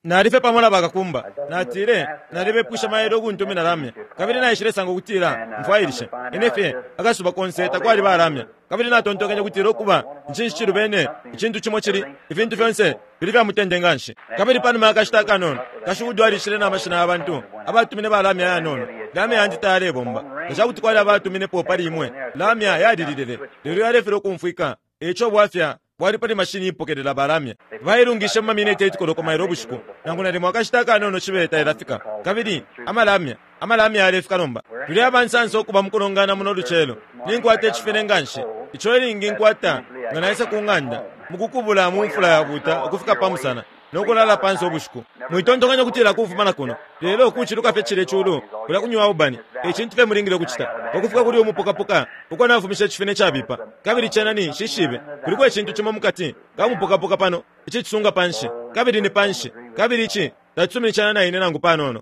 Nali fye pamo na bakakumba. Natile, Nalibepwishe mailo ukuntumina lamya, kabili naishilesanga ukutila mfwailishe. Ine fye, akasuba konse takwali ba lamya. Kabili natontonkenye ukutila ukuba, ncinshi cilubene? Icintu cimo cili, ifintu fyonse fili fya mutende nganshi. Kabili panuma ya kashita akanono, kashukudu alishile na mashina ya bantu abatumine ba lamya ayanono. Lamya yandi tayalebomba. Nga ca kuti kwali abatuminepo pali imwe, lamya yalililile, lelo yalefilwa ukumfwika. E ico ubwafya bwali pali mashini iipokelela balamya. Bailungishe mu mamineti 8 koloko mailo ubushiku, nangu nalimo akashita akanono cibe tailafika. Kabili amalamya, amalamya yalefika nomba. Tuli aba nsansa ukuba mu kulongana muno lucelo. Ninkwata icifine nga nshi, ico ilingi nkwata nga naisa ku ng'anda, mu kukubula mu mfula yabuuta ukufika pa musana. no kulala panse ubushiku. Mwitontonkanya ukutila kufuma na kuno, lelo kuciluka fye cilye culu kulya ku New Albany, e cintu fye mulingile ukucita. Pa kufika kuli umupokapoka uko nafumishe icifine cabipa, kabili cena ni, nshishibe, kuliko icintu cimo mukati ka mupokapoka pano icicisunga panshi, kabili ni panshi, kabili ici tacisuminishanya na ine nangu panono.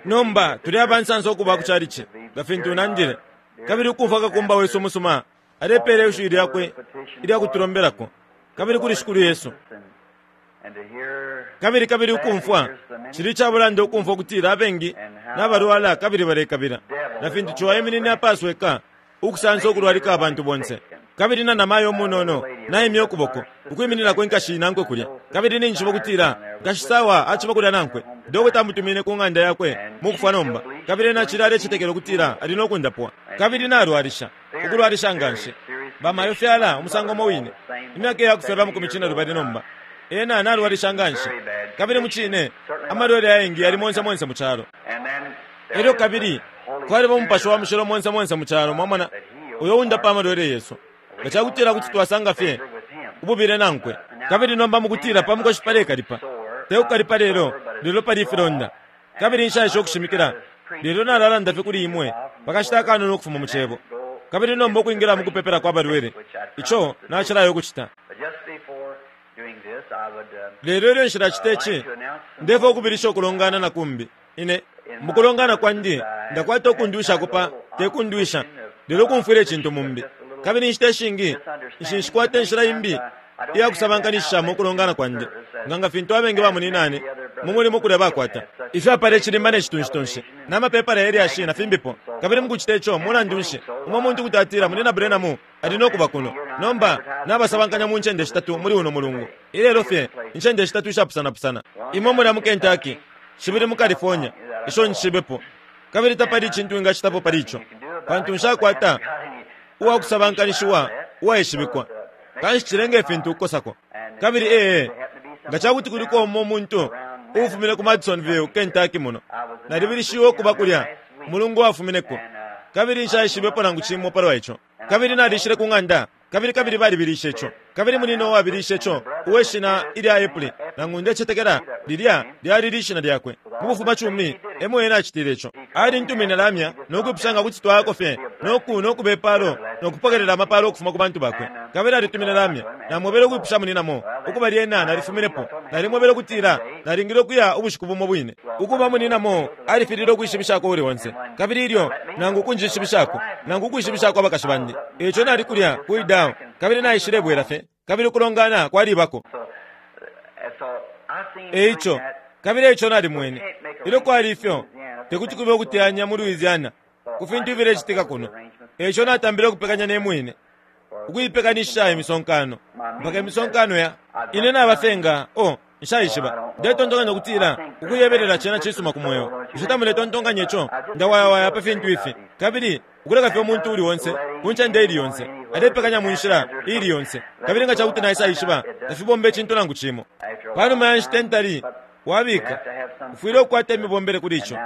Nomba tuli abansansa ukuba ku chalichi, nga fintu nandile, kabili ukumfwa kakumba wesu umusuma alepeela ishiwi lyakwe ilya kutulombelako, kabili kuli Shikulu Yesu. Kabili kabili ukumfwa, cili icabulanda ukumfwa ukutila abengi nabalwala kabili balekabila, na fintu ciwa aiminine apasweka ukusansa ukulwalika abantu bonse. Kabili na namayo umunono naimya ukuboko ukwimininako inkashi inankwe kulya, kabili ninjishiba ukutila Nkashi Sawa aciba kulya nankwe. Dokota amutumine ku ng'anda yakwe mukufwa nomba, kabili ena acili alecetekela ukutila ali no kundapwa. Kabili nalwalisha, ukulwalisha nganshi. Bamayo fyala umusango umo wine, imyaka iya kufyalwa amakumi cinelubali nomba. Ena nalwalisha nganshi. Kabili mucine, amalwele ayengi yali monse monse mu calo. Elyo kabili kwaliba Umupashi wa Mushilo monse monse mu calo, mwamona, uyo undapa amalwele yesu. Nga cakutila kuti twasanga fye ububile nankwe. Kabili nomba mukutila pa mukoshi palekalipa, te kukalipa lelo, lelo pali ifilonda. Kabili nshaesha ukushimikila, lelo nalalanda fye kuli imwe pakashita akanono ukufuma mu Cebo. Kabili nomba ukwingila mukupepelako abalwele, ico nacilaya ukucita. Lelo ilyo nshilacita ici, ndefwaya ukubilisha ukulongana na kumbi. Ine, mukulongana kwandi, ndakwata ukundwishako pa, te kundwisha, lelo ukumfwila icintu mumbi. Kabili inshita ishingi, nshi, nshikwata inshila imbi iya kusabankanishishamo ukulongana kwandi, nga nga fintu abengi bamuninane mu mulimo kulya bakwata. Ifyapala icilimba ne citunshitunshi, na mapepala ye lyashi na fimbipo. Kabili mukucita ico, mulandu nshi, umo muntu kuti atila, Munyina Branham ali no kuba kuno. Nomba, nabasabankanya mu ncende shitatu muli uno mulungu, ilelo fye, incende shitatu ishapusanapusana. Imo mulya mu Kentucky, shibili mu California, isho nshishibepo. Kabili tapali icintu wingacitapo pali ico, pantu nshakwata uwa kusabankanishiwa uwaishibikwa. Kanshi cilenga ifintu ukukosako. Kabili ee, nga ca kuti kuliko umo muntu uufumine ku Madisonville, Kentucky muno, nalibilishiwe ukuba kulya umulungu wafumineko, kabili nshaishibepo nangu cimo palwa ico. Kabili nalishile ku ng'anda, kabili kabili balibilishe ico. Kabili munina uwabilishe ico, uwe shina ilya Epley, nangu ndecetekela lilya lyali lishina lyakwe, mu bufumacumi emo ena acitile ico. Alintumine lamya no kwipusha nga kuti twayako fye no ku, no kube palo no kupokelela amapalo ukufuma ku bantu bakwe. Kabili alitumine lamya. Namwebele ukwipusha munina Moore. Ukuba lyena nalifuminepo. Nalimwebele ukutila nalingile ukuya ubushiku bumo bwine. Ukuba munina Moore alifililwe ukwishibishako uuli onse. Kabili ilyo, nangu ukunjishibishako, nangu ukwishibishako abakashi bandi. E ico nali kulya ku Idaho, kabili naishilebwela fye, kabili ukulongana kwalibako. E ico, kabili e ico nalimwene, ilyo kwali ifyo, te kuti kube ukuteyanya mu Louisiana ku fintu ifilecitika kuno. E ico natambile ukupekanya ne mwine, ukuipekanishisha imisonkano, mpaka imisonkano ya. Ine naba fye nga, oh, Nshaishiba. Ndetontonkanya ukutila ukuyebelela cena cisuma ku mweo. Bushe tamuletontonkanya ico? Ndawayawaya pa fintu ifi. Kabili ukuleka fye umuntu uuli onse, ku ncende iili yonse, alepekanya mu nshila iili yonse. Kabili nga ca kuti naisaishiba, tafibomba icintu nangu cimo. Pa numa ya nshita intali wabika, ufwile ukukwata imibombele kuli ico.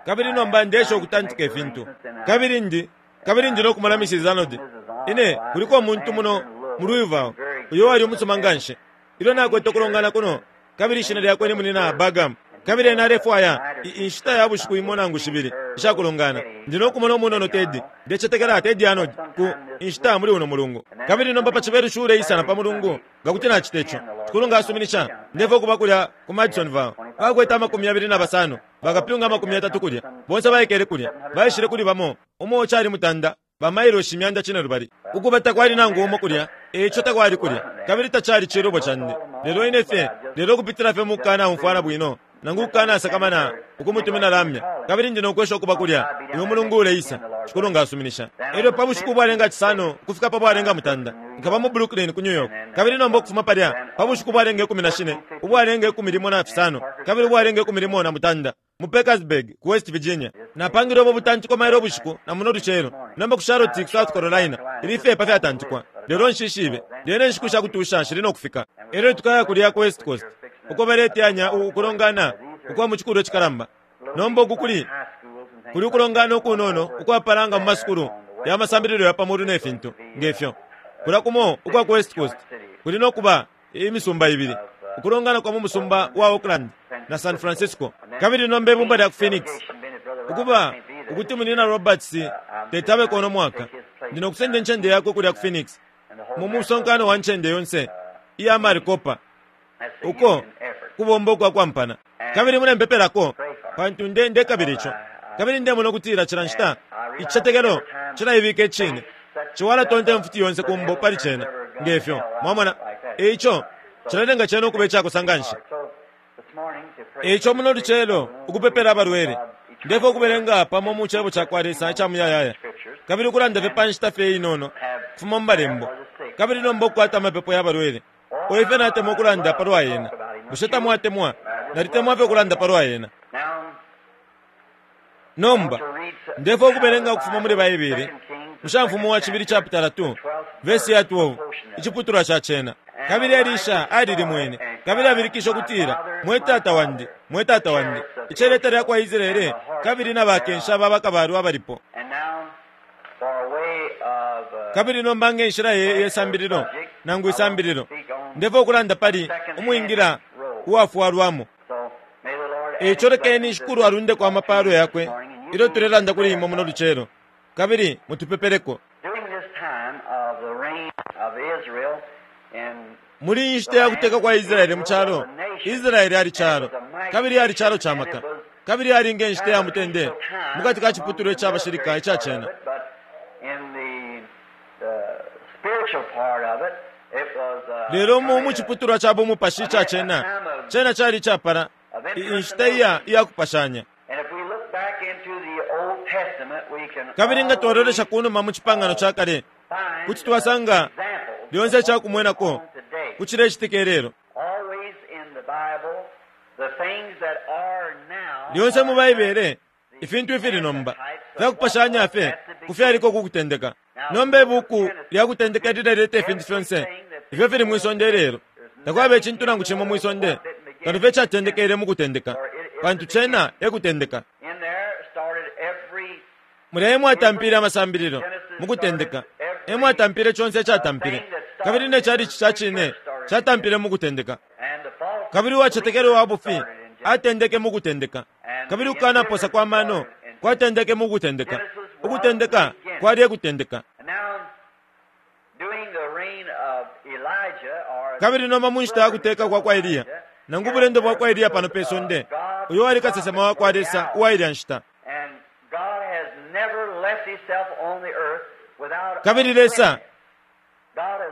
Kabili nomba ndeesha ukutantika ifintu. Kabili ndi, kabili ndi no kumona Mrs. Arnold. Ine, kuliko umuntu muno mu Louisville uyo wali umusuma nganshi. Ilyo nakwete ukulongana kuno, kabili ishina lyakwe ni Munyina Bagam, kabili ena alefwaya i, inshita ya bushiku imo nangu shibili isha kulongana. Ndi no kumona umunono Teddy, ndecetekela Teddy Arnold, ku, inshita muli uno mulungu. Kabili nomba pa Cibelushi uleisa na pa Mulungu, nga kuti nacita ico, Shikulu nga asuminisha, ndefwaya ukuba kulya ku Madisonville. Bakwete 25, bakapyunga 30 kulya, bonse baikele kulya, baishile kuli bamo, umo cali mutanda, ba mailoshi 5,000. Ukuba takwali nangu umo kulya. E ico takwali kulya, kabili tacali cilubo candi, lelo ine fye, lelo ukupitila fye mu kukanaumfwana bwino, nangu ukukanasakamana ukumutumina lamya. Kabili ndi no kwesha ukuba kulya uyu mulungu uleisa, Shikulu nga asuminisha. Elyo pa bushiku ubwalenga cisano ukufika pa bwalenga mutanda, nkaba mu Brooklyn, ku New York. Kabili nomba ukufuma palya, pa bushiku ubwalenga 14, ubwalenga 16, kabili ubwalenga 18, mu Parkersburg, ku West Virginia. Napangile ubo butantiko mailo ubushiku na muno lucelo. Nomba ku Charlotte, ku South Carolina, ili fye pa fyatantikwa. Lelo nshishibe. Lyena inshiku sha kutusha shili no kufika. Elyo tukaya kulya ku West Coast, uko baleteyanya ukulongana ukwa mu cikulwa cikalamba. Nomba uku kuli, kuli ukulongana ukunono ukwapala nga mu masukulu ya masambililo ya pa mulu ne fintu nge fyo. Kulya kumo ukwa ku West Coast kuli no kuba imisumba ibili, ukulongana kwa mu musumba wa Oakland na San Francisco. Kabili nomba ibumba lya ku Phoenix, ukuba ukuti Munyina Roberts teti abeko uno mwaka, ndi no kusenda incende yakwe kulya ku Phoenix mu musonkano wa ncende yonse iya Maricopa, uko kubomba ukwa kwampana. Kabili mulempepelako, pantu nde ndekabila ico. Kabili ndemona ukutila cila nshita icicetekelo cilaibika icine, ciwa alatonta imfuti yonse ku mbo pali cena, nge fyo, mwamona. E ico cilalenga cena ukuba icakosa nganshi. E ico muno lucelo, ukupepela abalwele, ndefwaya ukubelenga pamo mu Cebo cakwa Lesa ica Muyayaya, kabili ukulanda fye pa nshita fye inono ukufuma mu Malembo, kabili nomba ukukwata amapepo ya balwele. O ifyo natemwa ukulanda palwa yena! Bushe tamwatemwa? Nalitemwa fye ukulanda palwa yena. Nomba, ndefwaya ukubelenga ukufuma muli Baibele, mu Shamfumu wa Cibili chapitala 2, vesi ya 12, iciputulwa ca cena. Kabili Elisha alilimwene, kabili abilikishe ukutila, Mwe tata wandi, mwe tata wandi, iceleta lya kwa Israele kabili na bakensha ba bakabalwe abalipo! Kabili nomba nge nshila ye, ye sambililo, nangu isambililo, ndefwaya ukulanda pali, Umwingila Uwafwalwamo. Eico lekeni Shikulu alundeko amapalo Yakwe ilyo tulelanda kuli imwe muno lucelo, kabili mutupepeleko. Muli iyi nshita ya kuteka kwa Israele mu calo, Israele ali calo, kabili ali calo ca maka, kabili ali nge nshita ya mutende mukati ka ciputulwa ica bashilika ica cena. Lelo mu, mu ciputulwa ca bumupashi ica cena, cena cali icapala i, inshita iya, iya kupashanya. Kabili nga twalolesha ku numa mu Cipangano ca Kale, kuti twasanga lyonse ica kumwenako ku cilecitika ilelo. Lyonse mu Baibele, Ifintu ifili nomba fya kupashanya fye ku fyaliko ku kutendeka. Nomba ibuuku lya Kutendeka lileleta ifintu fyonse ifyo fili mwi sonde ilelo. Takwaba icintu nangu cimo mwi sonde kano fye icatendekele mu kutendeka, pantu cena e kutendeka. Mulya e mwatampile amasambililo, mu kutendeka e mwatampile conse icatampile, kabili ne chalichi ca cine catampile mu kutendeka. Kabili uwacetekela uwa bufi atendeke mu kutendeka. Kabili ukukanaposa kwa mano kwatendeke mu kutendeka. Ukutendeka kwali e kutendeka. Kabili nomba mu nshita ya kuteka kwa kwa Eliya, nangu ubulendo bwa kwa Eliya pano pe sonde, uyo wali kasesema wa kwa Lesa uwa ilya nshita. Kabili Lesa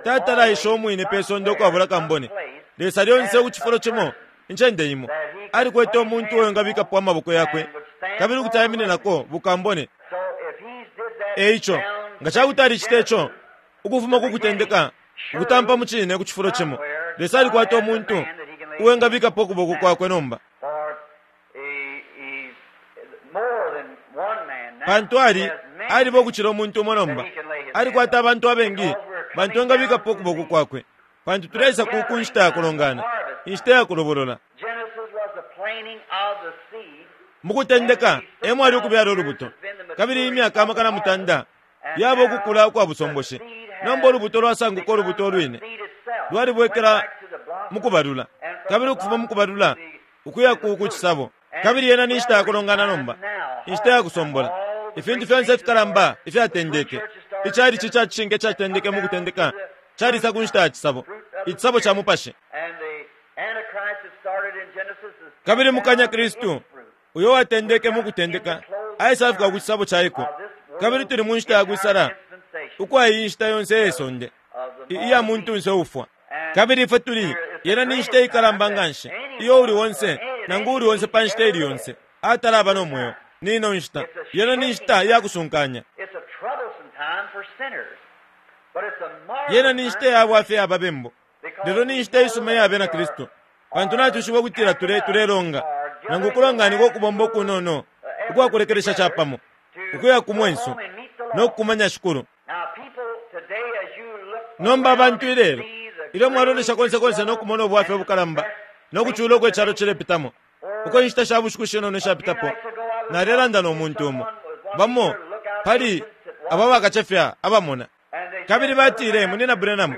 Tatalaisha umwine pe sonde ukwabula kambone. Lesa lyonse ku cifulo cimo, incende imo, alikwete umuntu uo engabikapo amaboko yakwe kabili kuti aimininako bukambone. E ico, nga ca kuti alicita ico ukufuma ku kutendeka ukutampa mu cine ku cifulo cimo, Lesa alikwata umuntu uo engabikapo ukuboko kwakwe nomba. Pantu ali, aliba ukucila umuntu umo nomba. Alikwata abantu abengi bantu engabikapo ukuboko kwakwe. Pantu tuleisa ku, ku nshita ya kulongana, inshita ya kulobolola. Mu kutendeka e mwali ukubyala ulubuto, kabili imyaka 300 yaba ukukula ukwa busomboshi. Nomba ulubuto lwasanguka ulubuto ulwine, lwalibwekela mu kubalula, kabili ukufuma mu kubalula ukuya ku, ku cisabo. Kabili yena ni nshita ya kulongana nomba, inshita ya kusombola. Ifintu fyonse ifikalamba ifyatendeke, ichalichi ca cishinka icatendeke mu kutendeka, calisa ku nshita ya cisabo, icisabo ca Mupashi. Kabili mukanya Kristu, uyo watendeke mu kutendeka, aisafika ku cisabo ca iko. Kabili tuli mu nshita ya kwisala ukwa iyi nshita yonse iye sonde. iya muntunse ufwa. Kabili ifwe tuli, yena ni nshita ikalamba nganshi iyo uli onse nangu uli onse pa nshita ili yonse atalaba no mweo. Ni ino nshita. Yena ni nshita iya kusunkanya. Yena ni nshita ya bwafya ya babembu, lelo ni nshita isuma iya Bena Kristu, pantu natwishiba ukutila tule tulelonga nangu ukulonganika ukubomba ukunono ukwa kulekelesha capamo ukuya ku mwenso no kukumanya Shikulu. Nomba abantu ilelo, ilyo mwalolesha konse konse no kumona ubwafya ubukalamba no kucula uko icalo cilepitamo, uko inshita sha bushiku shinono ishapitapo nalelanda no muntu umo, bamo pali aba bakacefya abamona, kabili batile, Munyina Branham,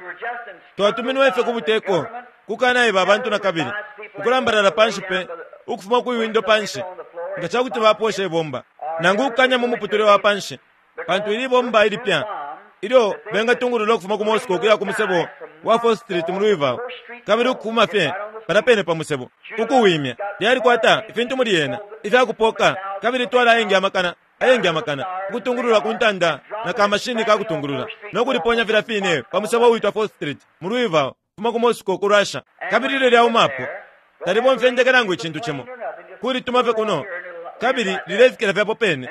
twatuminwe fye ku buteko kukanaiba abantu na kabili ukulambalala panshi pe ukufuma kwi windo panshi nga ca kuti baposha ibomba nangu ukukanya mu muputule wa panshi, pantu ili ibomba ilipya ilyo bengatungulula ukufuma ku Moscow ukuya ku musebo wa 4th Street mu Louisville, kabili ukukuma fye palya pene pa musebo, ukuwimya. Lyalikwata ifintu muli yena ifya kupoka, kabili itwala ayengi amakana, ayengi amakana, ukutungulula ku ntanda na ka mashini ka kutungulula, no kuliponya filya fine pa musebo uwitwa 4th Street mu Louisville, ukufuma ku Moscow ku Russia. Kabili ilyo lyaumapo, talibomfya indeke nangu icintu cimo, kulituma fye kuno, kabili lilefikila fye apo pene,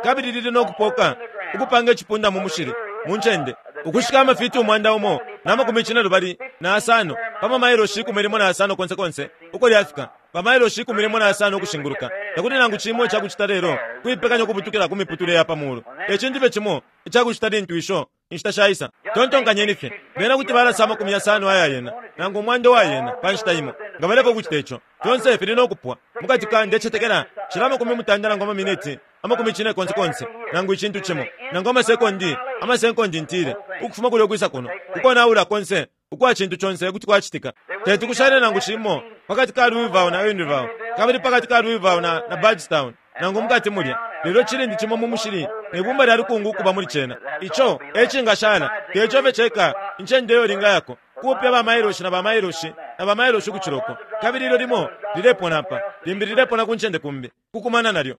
kabili lili no kupoka ukupanga icipunda mu mushili mu ncende ukushika amafiti 175 pa mamailoshi 15 konse konse uko lyafika, bamailoshi 15 ukushinguluka. Takuli nangu cimo ica kucita lelo kuipekanya ukubutukila ku miputule ya pa mulu. E cintu fye cimo ica kucita lintu isho inshita shaisa. Tontonkanyeni fye, bena kuti balasa 60 aya yena, nangu 100 wa yena pa nshita imo, nga baleka ukucita ico. Fyonse fili no kupwa mukati ka, ndecetekela, cila 80 nangu amaminiti 90 konse, nangu icintu cimo, nangu amasekondi, amasekondi ntile, ukufuma kulya ukwisa kuno, ukonaula konse ukwa cintu conse kuti kwacitika. Teti kushale nangu cimo pakati ka Louisville na Henryville, kabili pakati ka Louisville na, na Bardstown, nangu mukati mulya, lelo cilindi cimo mu mushili ne bumba lya lukungu ukuba muli cena. Ico e cingashala, te ico fye ceka, incende iyo lingayako, kupya ba mailoshi na ba mailoshi na ba mailoshi ukucila uko. Kabili ilyo limo lilepona apa, limbi lilepona ku ncende kumbi, kukumana nalyo.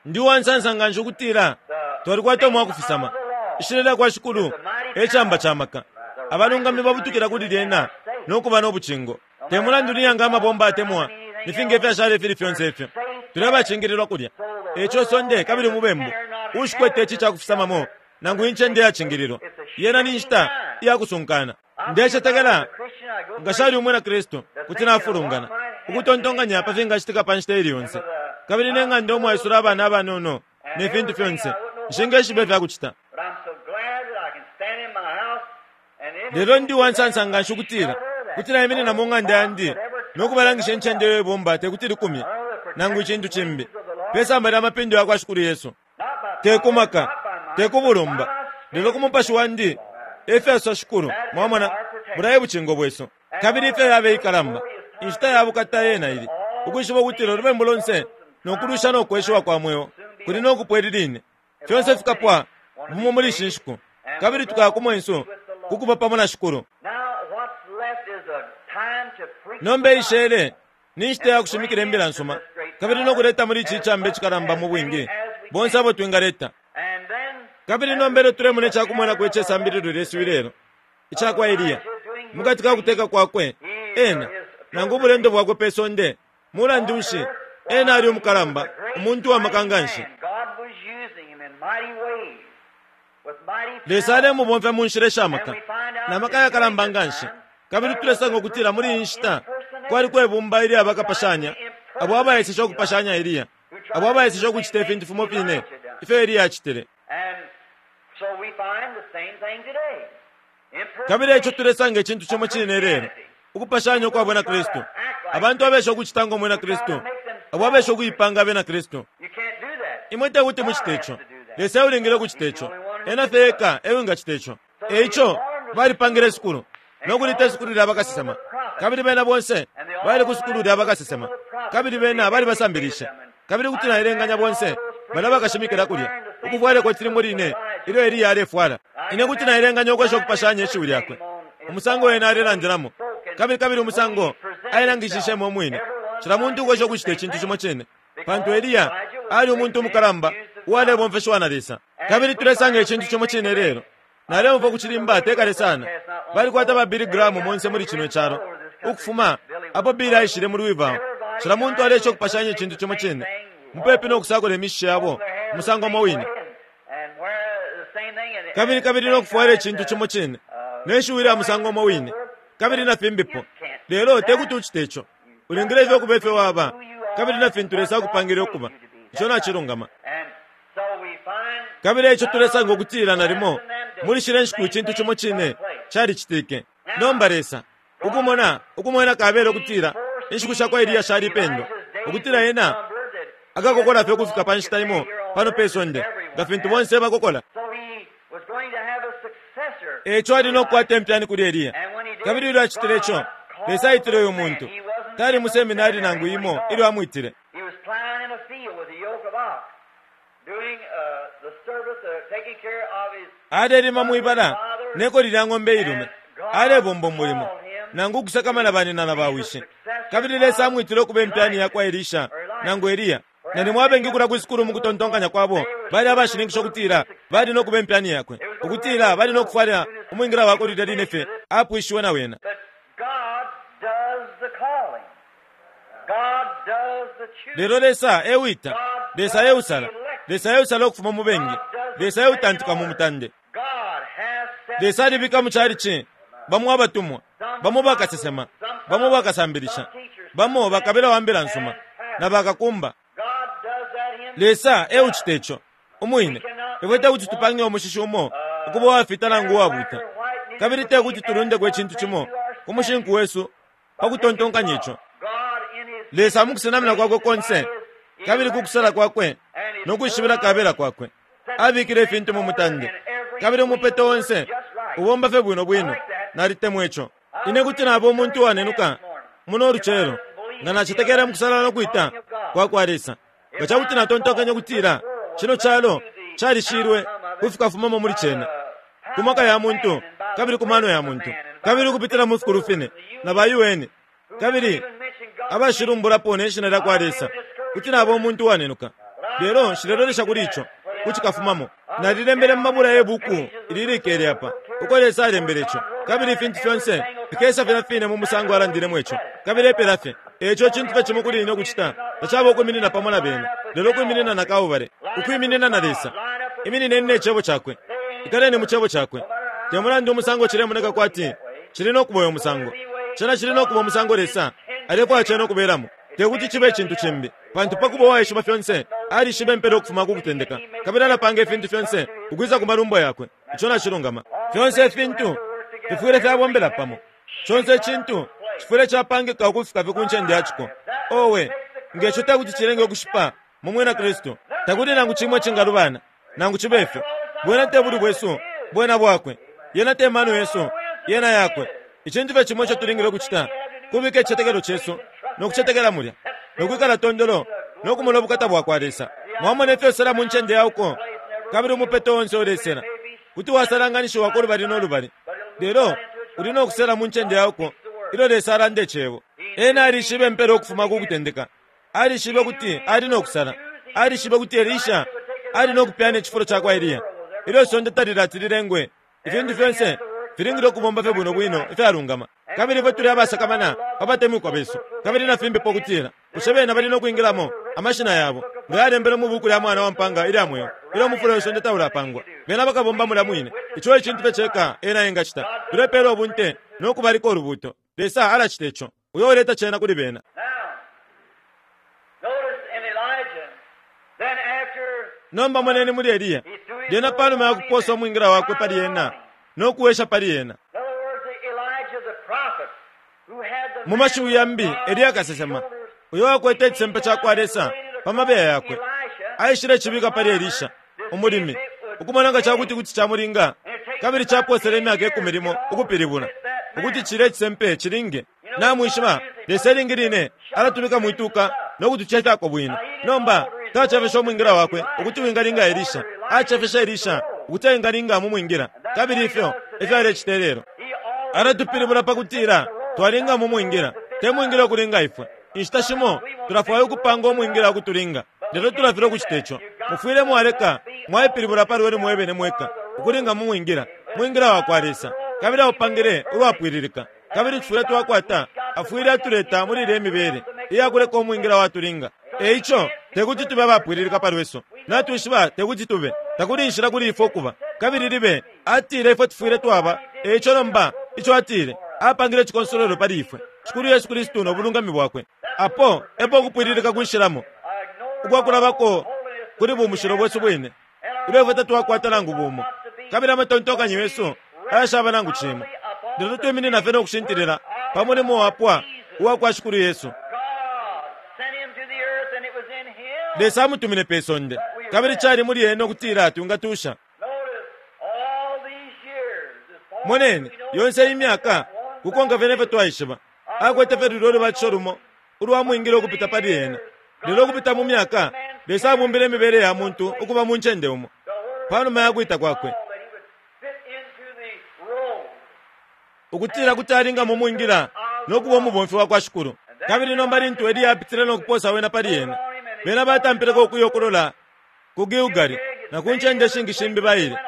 Ndi uwansansa nganshi ukutila twalikwata umwakufisama. Ishina lya kwa Shikulu e camba ca maka. Abalungami babutukila kuli lyena no kuba no bucingo. Te mulandu ni yanga amabomba atemwa ni finga ifyashala ifili fyonse ifyo, tuli abacingililwa kulya. E ico isonde kabili umubembu uushikwete ici cakufisamamo nangu incende iyacingililwa, yena ni nshita iya kusunkana. Ndecetekela nga shali umwina Kristu kuti nafulungana ukutontonkanya pa fingacitika pa nshita ili yonse, kabili ne ng'anda umwaisula abana abanono ne fintu fyonse, nshingeshiba ifya kucita. Lelo ndi uwansansa nganshi ukutila kuti naiminina mu ng'anda yandi no kubalangisha incende iyo ibomba te kuti likumye nangu icintu cimbi pe samba lya mapindo ya kwa Shikulu Yesu. Te ku maka, te ku bulumba, lelo ku Mupashi wandi, e fyasosa Shikulu. Mwamona, bulya e bucingo bwesu. Kabili ifyo yabe ikalamba, inshita ya bukata yena ili, ukwishiba ukutila ulubembu lonse no kulwisha no kweshiwa kwa mweo kuli no kupwa ili line. Fyonse fikapwa bumo muli ishi nshiku, kabili tukaya ku mwensu ku kuba pamo na Shikulu. Nomba ishele ni nshita ya kushimikila imbila nsuma kabili no kuleta muli ici icamba icikalamba mu bwingi bonse abo twingaleta. Kabili nomba ilyo tulemona ica kumwenako ice sambililo lyesu ilelo ica kwa Eliya mukati ka kuteka kwakwe, ena nangu ubulendo bwakwe pe sonde, mulandu nshi, ena ali umukalamba, umuntu wa maka nganshi. Lesa alemubomfya mu nshila isha maka, na maka ayakalamba nganshi. Kabili tulesanga ukutila muli iyi nshita kwaliko ibumba ilya bakapashanya abo abaeseshe ukupashanya Eliya, abo abaeseshe ukucita ifintu fimo fine ifyo Eliya acitile. Kabili eico tulesanga icintu cimo cine ilelo, ukupashanya ukwa bwina Kristu, abantu abesha ukucita ngo mwina Kristu, abo abesha ukuipanga abena Kristu. Imwe tekuti mucite ico. Lesa eulingile ukucita ico. Ena fye eka ewingacita ico. E ico balipangile isukulu, no kulita isukulu lya bakasesema. Kabili bena bonse bali ku sukulu lya bakasesema, kabili bena balibasambilishe. Kabili kuti naelenganya bonse balya bakashimikila kulya, ukufwala ikoti limo line ilyo Eliya alefwala. Ine kuti naelenganya ukwesha ukupashanya ishiwi lyakwe, umusango ena alelandilamo, kabili, kabili umusango ailangishishemo umwine. Cila muntu ukwesha ukucita icintu cimo cine, pantu Eliya ali umuntu umukalamba uwalebomfeshiwa na Lesa. Kabili tulesanga icintu cimo cine lelo. Naleumfwa kucilimba te kale sana. Balikwata ba Billy Graham monse muli cino calo. Ukufuma apo Billy aishile mu Louisville, cila muntu aleesha ukupashanya icintu cimo cine, mupepi no kusakula imishishi yabo umusango umo wine. Kabili kabili no kufwala icintu cimo cine, ne shiwi lya musango umo wine, kabili na fimbipo. Lelo te kuti ucite ico. Ulingile fye ukuba ifyo waba, kabili na fintu Lesa akupangile ukuba. Ico nacilungama. Kabili eico tulesanga ukutila nalimo muli shile nshiku icintu cimo cine calicitike. Nomba Lesa, ukumona, ukumwena kabela ukutila inshiku sha kwa Eliya shalipendwa, ukutila ena akakokola fye ukufika pa nshita imo pano pe sonde, nga fintu bonse bakokola. Eico ali no kukwata impyani kuli Eliya. Kabili ilyo acitile ico, Lesa aitile uyu muntu. Tali mu seminari nangu imo ilyo amwitile. Alelima mwi bala ne koli lya ng'ombe iilume, alebomba umulimo, nangu ukusakamana banina na bawishi. Kabili Lesa amwitile ukuba impyani ya kwa Elisha nangu Eliya. Nalimo abengi kulya kwi sukulu mu kutontonkanya kwabo bali abashininkisha ukutila bali no kuba impyani yakwe, ukutila bali no kufwala umwingila wakwe lilya line fye apwishiwe na wena. Lelo Lesa e wita, Lesa e usala, Lesa e usala ukufuma mu bengi, Lesa e utantika mu mutande. Lesa alibika mu calici bamo abatumwa, bamo bakasesema, bamo bakasambilisha, bamo bakabila wa mbila nsuma, na bakakumba. Lesa e ucita ico umwine. Ifwe te kuti tupange umushishi umo ukuba uwafita nangu uwabuuta, kabili te kuti tulundeko icintu cimo ku mushinku wesu pa kutontonkanya ico. Lesa mu kusenamina kwakwe konse kabili ku kusala kwakwe no kwishibila kabela kwakwe abikile ifintu mu mutande, kabili umupeto onse ubomba fye bwino bwino. Nalitemwa ico. Ine kuti naba umuntu uwanenuka muno lucelo nga nacetekela mu kusala no kwita kwa kwa Lesa. Nga ca kuti natontonkanya ukutila cino calo calishilwe ku fikafumamo muli cena, ku maka ya muntu kabili ku mano ya muntu, kabili ukupitila mu fikulu fine na ba UN, kabili abashilumbulapo ne shina lya kwa Lesa, kuti naba umuntu uwanenuka. Lelo nshilelolesha kuli ico ku cikafumamo. Nalilembele mu mabula ye buku ili likele apa, uko Lesa alembele ico, kabili ifintu fyonse fikesa filya fine mu musango alandilemo ico, kabili epela fye. E ico icintu fye cimo kuli ine ukucita tacaba ukwiminina pamo na bena, lelo kwiminina na Kalbale, ukwiminina na Lesa. Iminineni ne Cebo Cakwe. Ikaleni mu Cebo Cakwe. Te mulandu umusango cilemoneka kwati cili no kuba uyo musango, cena cili no kuba umusango Lesa alefwaya cena ukubelamo. Te kuti cibe icintu cimbi, pantu pa kuba uwaishiba fyonse, alishiba impela ukufuma ku kutendeka, kabili alapanga ifintu fyonse ukwisa ku malumbo yakwe. Ico nacilungama. Fyonse ifintu fifwile fyabombela pamo. Conse icintu cifwile capangika ukufika fye ku ncende ya ciko. Owe, nge co te kuti cilenge ukushipa mu Mwina Kristu! Takuli nangu cimo icingalubana, nangu cibe fyo. Bwena te bulwi bwesu, bwena Bwakwe. Yena te mano yesu, yena Yakwe. Icintu fye cimo ico tulingile ukucita kubika icitetekelo cesu no kucetekela mulya, no kwikala tondolo no kumona ubukata bwa kwa Lesa. Mwamona ifyo usela mu ncende ya uko, kabili umupeto onse ulesela. Kuti wasalanganishiwa ku lubali no lubali, lelo uli no kusela mu ncende ya uko ilyo Lesa alanda Icebo. Ena alishibe impela ukufuma ku kutendeka. Alishibe ukuti ali no kusala. Alishibe ukuti Elisha ali no kupyana icifulo ca kwa Eliya. Ilyo isonde talilati lilengwe, ifintu fyonse filingile ukubomba fye bwino bwino ifyalungama. Kabili ifwe tuli abasakamana pa batemwikwa besu, kabili na fimbipo ukutila, bushe bena bali no kwingilamo, amashina yabo nga yalembelwe mu Buku lya Mwana wa Mpanga ilya Mweo, ilyo umufula we sonde taulapangwa. Bena bakabomba mulya mwine. Ico e cintu fye ceka Ena engacita. Tulepela ubunte no kubalika ulubuuto. Lesa alacita ico, uyo uleta cena kuli bena. Nomba moneni muli Eliya, lyena panuma ya kuposa umwingila wakwe pali ena no kuwesha pali ena. Mu mashiwi yambi, Eliya kasesema, uyo wakwete icisempe ca kwa Lesa pa mabeya yakwe, aishile cibika pali Elisha, umulimi, ukumona nga ca kuti kuti camulinga, kabili caposele imyaka ikumi limo ukupilibula ukuti cilya icisempe cilinge. Namwishiba, Lesa ilingi line alatubika mwituka no kutucefyako bwino. Nomba, tacefeshe umwingila wakwe ukuti wingalinga Elisha. Acefeshe Elisha ukuti engalinga mu mwingila. Kabili ifyo efyo alecita ilelo. Alatupilibula pa kutila twalinga mu mwingila, te mwingila ukulinga ifwe. Inshita shimo tulafwaya ukupanga umwingila ukutulinga, lelo tulafilwa ukucita ico. Mufwile mwaleka mwaipilibula pa lwenu mwebene mweka ukulinga mu mwingila. mwingila wakwa Lesa, kabili aupangile ulwapwililika. Kabili tufwile twakwata, afwile atuleta muli ilye mibele iya kuleka umwingila watulinga. E ico, te kuti tube abapwililika pa lwesu. Natwishiba te kuti tube. Takuli inshila kuli ifwe ukuba. Kabili libe, atile ifwe tufwile twaba. E ico nomba, ico atile, apangile icikonsolwelo pali ifwe, Shikulu Yesu Kristu no bulungami bwakwe. Apo epo ukupwililika kwishilamo, ukwakulabako kuli bumushilo bwesu bwine, ilyo ifwe tatwakwata nangu bumo, kabili amatontonkanyo yesu ayashaba nangu cimo, lelo twiminina fye no kushintilila pa mulimo wapwa uwa kwa Shikulu Yesu. Lesa amutumine pe sonde, kabili cali muli ena ukutila twingatusha. Moneni, yonse iyi myaka, kukonka fye ne fyo twaishiba, akwete fye lulyo lubatisho lumo ulwa mwingile ukupita pali ena. Lelo ukupita mu myaka, Lesa abumbile imibele ya muntu ukuba mu ncende umo, pa numa ya kwita kwakwe, ukutila kuti alinga mu mwingila no kuba umubomfi wa kwa Shikulu. Kabili nomba lintu Eliya apitile no kupoosa wena pali ena, bena batampileko ukuya ukulola ku Gilgali na ku ncende ishingi shimbi baile,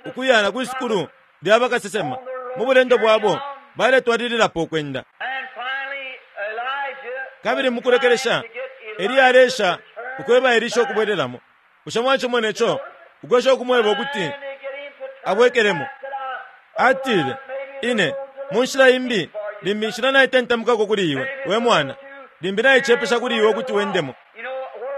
ukuya na kwi sukulu lya bakasesema. Mu bulendo bwabo baletwalililapo ukwenda. Kabili mukulekelesha, Eliya aleesha ukweba Elisha ukubwelelamo. Bushe mwacimone co? Ukwesha ukumweba ukuti abwekelemo. Atile, Ine, mu nshila imbi, limbi inshila naitentemukako kuli iwe, we mwana. Limbi naicepesha kuli iwe ukuti wendemo.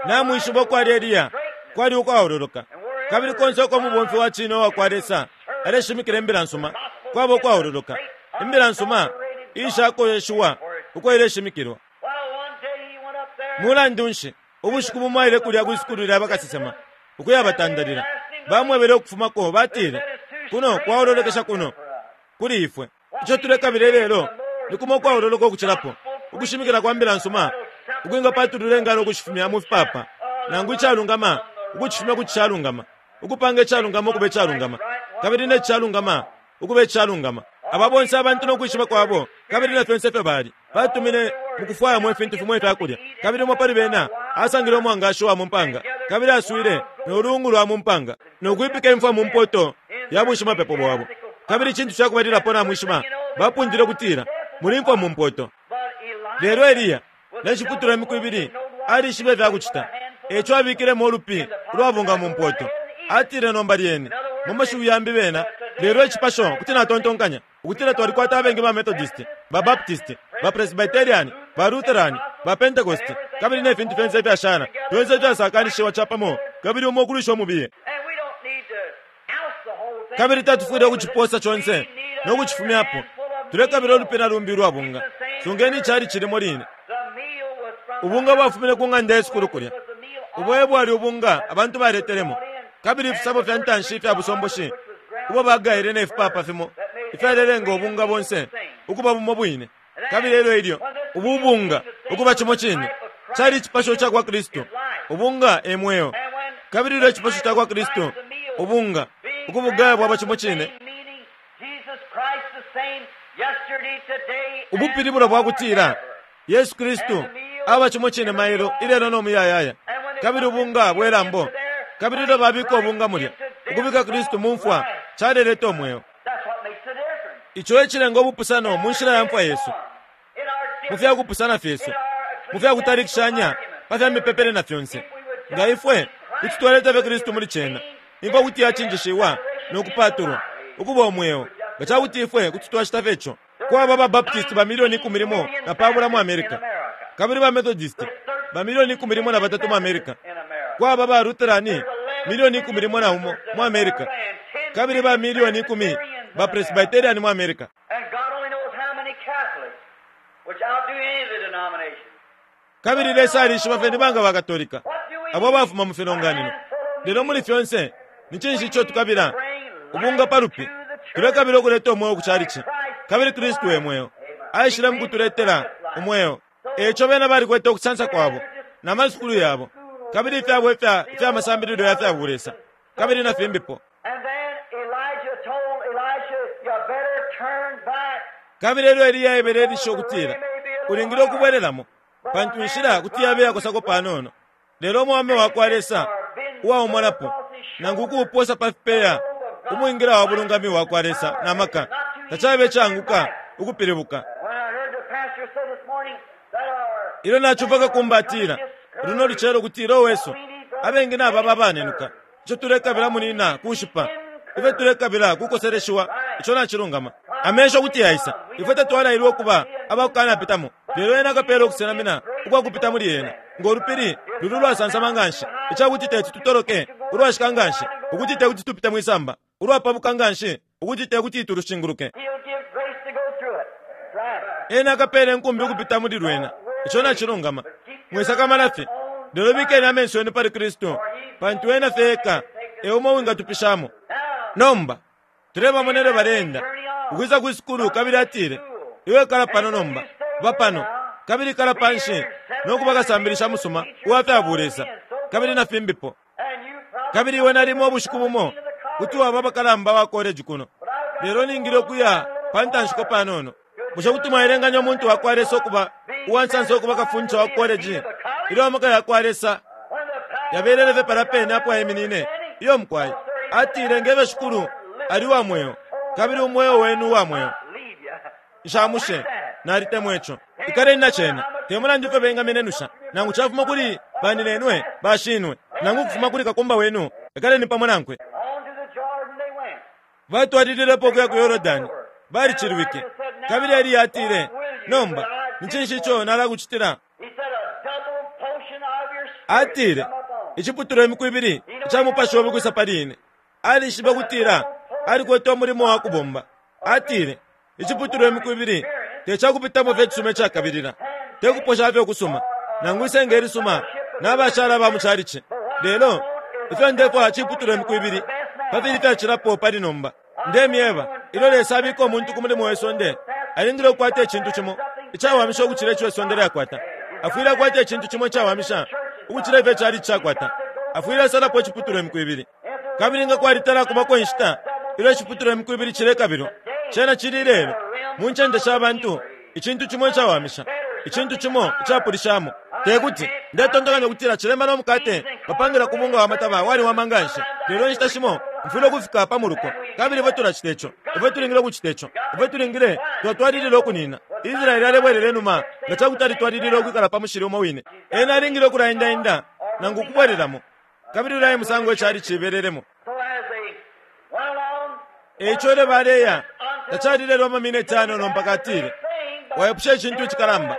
Namwishiba ukwali Eliya kwali ukwaololoka. Kabili konse uko umubomfi wa cine uwa kwa Lesa aleshimikila imbila nsuma, kwaba ukwaololoka. Imbila nsuma iishakoyeshiwa uko ileshimikilwa. Mulandu nshi, ubushiku bumo aile kulya kwi sukulu lya bakasesema ukuyabatandalila. Bamwebele ukufumako, batile, Kuno kwaololokesha kuno kuli ifwe. Ico tulekabila ilelo ni kumo ukwaololoka ukucilapo, ukushimikila kwa mbila nsuma ukwingapatulula ingano ukushifumya mu fipaapa, nangu icalungama ukucifumya ku cishalungama, ukupanga icalungama ukuba icalungama, kabili ne cishalungama ukuba icalungama. Aba bonse abantu no kwishiba kwabo kabili na fyonse ifyo bali, batumine mu kufwayamo ifintu fimo ifya kulya. Kabili umo pali bena asangile umwangashi wa mu mpanga, kabili aswile no luungu lwa mu mpanga, no kwipika imfwa mu mpoto ya bushimapepo bwabo. Kabili icintu ca kubalilapo namwishiba, bapundile ukutila, Muli imfwa mu mpoto. Lelo Eliya, ne ciputulwa imiku ibili, alishibe ifya kucita. E co abikilemo ulupi ulwabunga mu mpoto. Atile nomba lyene, mu mashiwi yambi bena, lelo icipasho kuti natontonkanya ukutila twalikwata abengi ba Methodist, ba Baptist, ba Presbyterian, ba Lutheran, ba Pentecost, kabili ne fintu fyonse ifyashala, fyonse ifyasakanishiwa capamo, kabili umo ukulwisha umubiye. Kabili tatufwile ukucipoosa conse no kucifumyapo. Tulekabila ulupi na lumbi ulwa bunga. Sungeni icalici limo line. Ubunga bwafumine ku ng'anda ye sukulu kulya. Ubo e bwali ubunga abantu baletelemo, kabili ifisabo fya ntanshi ifya busomboshi ubo bagaile ne fipaapa fimo ifyalelenga ubunga bonse ukuba bumo bwine. Kabili elyo ilyo ubu ubunga ukuba cimo cine, cali icipasho ca kwa Kristu. Ubunga e mweo. Kabili ilyo icipasho ca kwa Kristu, ubunga, ukubugaya bwaba cimo cine, ubupilibulo bwa kutila Yesu Kristu aba cimo cine mailo, ilelo no muyayaya. Kabili ubunga bwe lambo, kabili ilyo babika ubunga mulya, ukubika Kristu mu mfwa caleleta umweo. Ico e cilenga ubupusano mu nshila ya mfwa yesu, mu fya kupusana fyesu, mu fya kutalikishanya pa fya mipepele na fyonse. Nga ifwe kuti twaleta fye Kristu muli cena, imfwa kuti yacinjishiwa no kupaatulwa ukuba umweo, nga ca kuti ifwe kuti twacita fye co. Kwaba ba Baptist ba milioni 13 mu America, kabili ba Methodist ba milioni 13 mu America. Kwaba ba Lutheran milioni 11 mu America, kabili ba milioni 10 ba Presbyterian mu America. Kabili Lesa alishiba fye ni banga ba Katolika abo abafuma mu filonganino. Lelo muli fyonse, ni cinshi ico tukabila? Ubunga pa lupi. Tulekabila ukuleta umweo ku chalichi. Kabili Kristu e mweo. Aishile mu kutuletela umweo. E ico bena balikwete ukusansa kwabo na masukulu yabo, kabili ifyabo ifya, ifya masambililo ya fya bulesa, kabili na fimbipo. Kabili elyo Eliya aebele Elisha ukutila, Ulingile ukubwelelamo, pantu inshila kuti yabe yakosako panono. Lelo umwaume wa kwa Lesa uwaumonapo, nangu ukuuposa pa fipeya Umwingila wa bulungami wa kwa Lesa na maka. Tacabe icaanguka ukupilibuka. Ilyo nacumfwa kakumba atila, luno lucelo kutila owesu, abengi nababa abanenuka. Ico tulekabila munina kushipa. Ifyo tulekabila kukoseleshiwa. Ico nacilungama. Amesho kuti yaisa. Ifwe tatwalailwe ukuba abakukanapitamo, lelo ena akapeela ukusenamina ukwa kupita muli yena. Ngo lupili luli ulwasansama nganshi ica kuti teti tutoloke, ulwashika nganshi ukuti te kuti tupite mwi samba, ulwapabuka nganshi ukuti te kuti tulushinguluke. Ena akapeela inkumbi ukupita muli lwena. Ico nacilungama. Mwisakamana fye, lelo bikeni amenso yenu pali Kristu, pantu ena fye eka e umo uwingatupishamo. Nomba, tulebamona ilyo baleenda ukwisa kwi sukulu, kabili atile, Iwe kala pano nomba, ba pano, kabili kala panshi no kuba kasambilisha musuma uwa fya bulesa, kabili na fimbipo. Kabili iwe nalimo ubushiku bumo kuti waba bakalamba wa koleji kuno, lelo ningile ukuya pa ntanshiko panono. Bushe kuti mwaelenganya umuntu wa kwa Lesa ukuba uwa nsansa ukuba kafundisha wa koleji ilyo amaka ya kwa Lesa yabelele fye palya pene apo aiminine? Iyo mukwai. Atile, Ngebe Shikulu ali wa mweo, kabili umweo wenu uwa mweo. Nshamushe. Nalitemwa ico. Ikaleni na cena. Te mulandu ifyo bengamenenusha, nangu cafuma kuli baninenwe, bashinwe, nangu ukufuma kuli kakumba wenu, ikaleni pamo nankwe. Batwalililepo ukuya ku Yordani, balicilwike. Kabili Eliya atile, Nomba, ni cinshi ico nalakucitila? Atile, Iciputulwa imiku ibili ica mupashi obe ukwisa pali ine. Alishibe ukutila alikwete umulimo wa kubomba. Atile, Iciputulwa imiku ibili te ca kupitamo fye icisuma icakabilila, te kuposha fye ukusuma, nangu isenge ilisuma na bashala ba mu calici. Lelo ifyo ndefwaya ciputulwa imiku ibili pa fili ifyacilapo pali nomba. Ndemyeba, ilyo Lesa abika umuntu ku mulimo we sonde, alingile ukukwata icintu cimo icawamisha ukucila ico isonde lyakwata. Afwile akwata icintu cimo icawamisha ukucila ifyo icalici cakwata. Afwile asalapo iciputulwa imiku ibili. Kabili nga kwalitala kubako inshita ilyo iciputulwa imiku ibili cilekabilwa, cena cili ilelo, mu ncende sha bantu, icintu cimo icawamisha, icintu cimo icapulishamo. Te kuti ndetontonkanya ukutila cilemba no mukate bapangila ku bunga wa mataba waliwama nga nshi, lelo inshita shimo mfwile ukufika pa muluko. Kabili ifwe tulacita ico. Ifwe tulingile ukucita ico. Ifwe tulingile twatwalilila ukunina. Israele alebwelela inuma nga ca kuti alitwalilile ukwikala pa mushili umo wine. Ena alingile ukulaendaenda nangu ukubwelelamo. Kabili ulya e musango icali cibelelemo. E ico ilyo baleya, tacali lelo amamineti ayanono mpaka atile, Waipusha icintu icikalamba.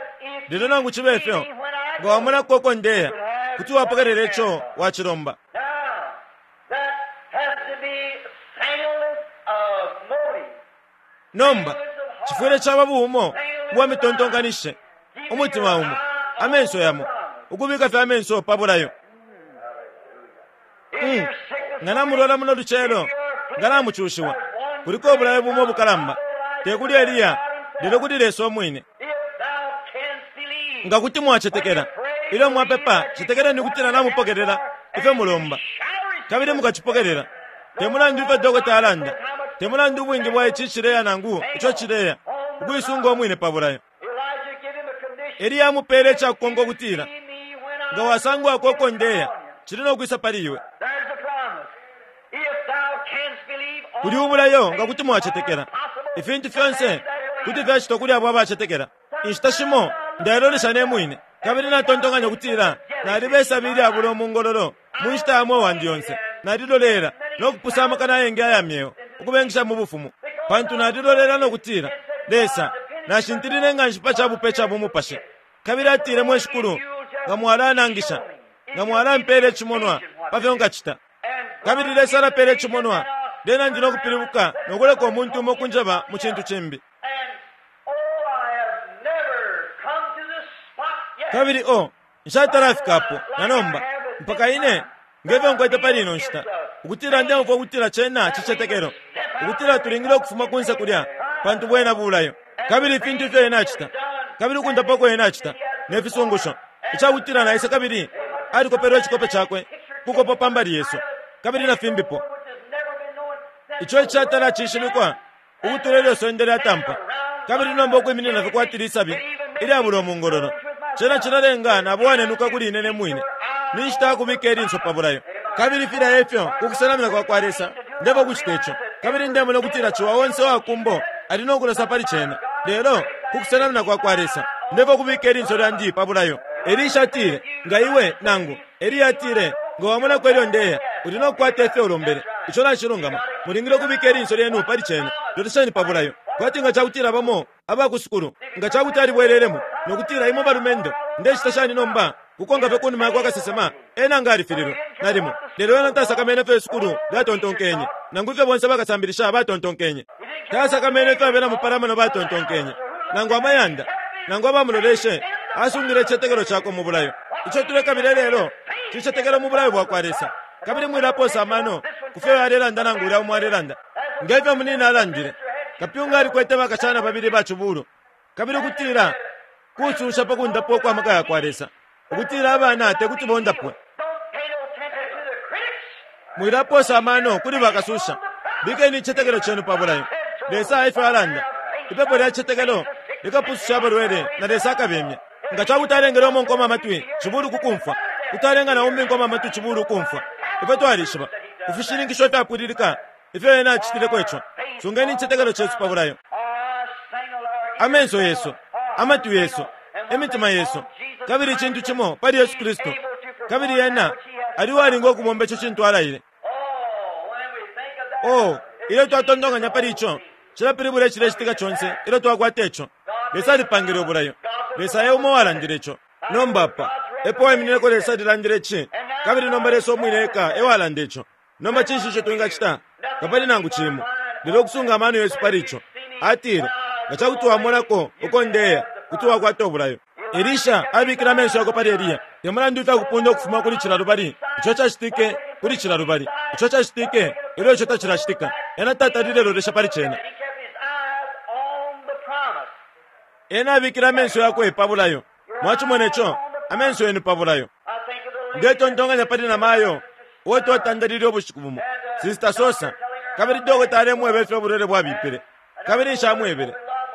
Lelo nangu cibe fyo, nga wamonako uko ndeya, kuti wapokelela ico wacilomba. Nomba, cifwile caba buumo ubwa mitontonkanishishe, umutima umo, amenso yamo, ukubika fye amenso pa bulayo. Mm. Nga namulwala muno lucelo, nga namucushiwa, kuliko ubulayo bumo ubukalamba, te kuli Eliya, lelo kuli Lesa umwine. Nga kuti mwacetekela, ilyo mwapepa, cetekeleni ukutila namupokelela ifyo mulomba, kabili mukacipokelela. Te mulandu ifyo dokota alanda, te mulandu ubwingi bwa ici cileya nangu ico cileya, ukuisunga umwine pa bulayo. Eliya amupeele ica kukonka ukutila, Nga wasangwako uko ndeya, cili no kwisa pali iwe. Kuli ubulayo nga kuti mwacetekela. Ifintu fyonse kuti fyacitwa kuli abo abacetekela. Inshita shimo ndailolesha ne mwine kabili natontonkanya ukutila naliba isabi ilyabula umungololo mu nshita ya mweo wandi yonse. Nalilolela no kupusa amakana ayengi aya myeo ukubengisha mu bufumu pantu nalilolela no kutila, Lesa, nashintilile nga nshi pa ca bupe ca bumupashi. Kabili atile, Mwe Shikulu, nga mwalanangisha, nga mwalampeela icimonwa pa fyo nkacita. Kabili Lesa alapeela icimonwa, lyena ndi no kupilibuka no kuleka umuntu umo ukunjeba mu cintu cimbi. Kabili o, nshatalafika apo na nomba, mpaka ine, nge fyo nkwete pali ino nshita, ukutila ndeumfwa ukutila cena cicetekelo, ukutila tulingile ukufuma kunse kulya, pantu bwena bulayo. Kabili ifintu ifyo Ena acita, kabili ukundapa uko Ena acita, ne fisungusho, icakutila naisa kabili alikopelwe icikope Cakwe kukopa pa mbali yesu, kabili na fimbipo, ico icatala cishibikwa ukutula ilyo isonde lyatampa, kabili nomba ukwiminina fye kwati lisabi ilyabula umungololo. Cena cilalenga nabo wanenuka kuli ine ne mwine. Ni nshita ya kubika ilinso pa bulayo. Kabili filya efyo ku kusenamina kwa kwa Lesa. Ndefwaya ukucita ico. Kabili ndemona ukutila ciwa onse uwa kumbo ali no kulosa pali cena. Lelo, ku kusenamina kwa kwa Lesa, ndefwaya ukubika ilinso lyandi pa bulayo. Elisha atile, Nga iwe, nangu, Eliya atile, nga wamonako ilyo ndeya, uli no kukwata ifyo ulombele. Ico nacilungama. Mulingile ukubika ilinso lyenu pali cena. Lolesheni pa bulayo. Kwati nga ca kutila bamo aba ku sukulu, nga ca kuti alibwelelemo no kutila, Imwe balumendo, ndecita shani nomba? Kukonka fye ku numa ya kwa kasesema, ena nga alifililwe, nalimo. Lelo ena tasakamene ifyo isukulu lyatontonkenye, nangu ifyo bonse bakasambilisha batontonkenye. Tasakamene ifyo abena mupalamano batontonkenye, nangu amayanda, nangu abamuloleshe. Asungile icitetekelo cakwe mu bulayo. Ico tulekabila ilelo cicetekelo mu bulayo bwa kwa Lesa. Kabili mwilapoosa amano ku fyo uyu alelanda nangu ulya umo alelanda. Nge fyo munina alandile, kapyunga alikwete bakashana babili ba cibulu, kabili ukutila kucusha pa kundapwa ukwa maka ya kwa Lesa, ukutila abana te kuti bondapwe. Mwilapoosa amano kuli bakasusha. Bikeni icitetekelo cenu pa bulayo. Lesa efyo alanda. Ipepo lya citetekelo likapususha abalwele na Lesa akabemya. Nga ca kuti alengele umo nkoma amatwi cibulu ku kumfwa, kuti alenga na umbi nkoma amatwi cibulu ukumfwa. Ifwe twalishiba, ku fishininkisho ifyapwililika, ifyo Ena acitileko ico. Sungeni icitetekelo cesu pa bulayo. Amenso yesu, amatwi yesu, imitima yesu, kabili icintu cimo pali Yesu Kristu, kabili Ena ali uwalinga ukubomba ico cintu Alaile. Oh, ilyo twatontonkanya pali ico, cilapilibula icilecitika conse ilyo twakwata ico. Lesa alipangile ubulayo. Lesa e umo uwalandile ico. Nomba apa epo waiminineko Lesa alilandile ici, kabili nomba Lesa umwine eka e walanda ico. Nomba cinshi ico twingacita? Tapali nangu cimo lelo ukusunga amano yesu pali ico. Atile, Nga ca kuti wamonako uko ndeya, kuti wakwata ubulayo. Elisha abikile amenso yakwe pali Eliya. Te mulandu ifya kupunda ukufuma kuli cila lubali, ico cacitike kuli cila lubali, ico cacitike ilyo ico tacilacitika, ena tatalile lolesha pali cena. Ena abikile amenso yakwe pa bulayo. Mwacimone co, amenso yenu pa bulayo. Ndetontonkanya pali namayo uo twatandalile ubushiku bumo, Sister Sosa, kabili dokota alemweba ifyo ubulwele bwabipile, kabili nshamwebele,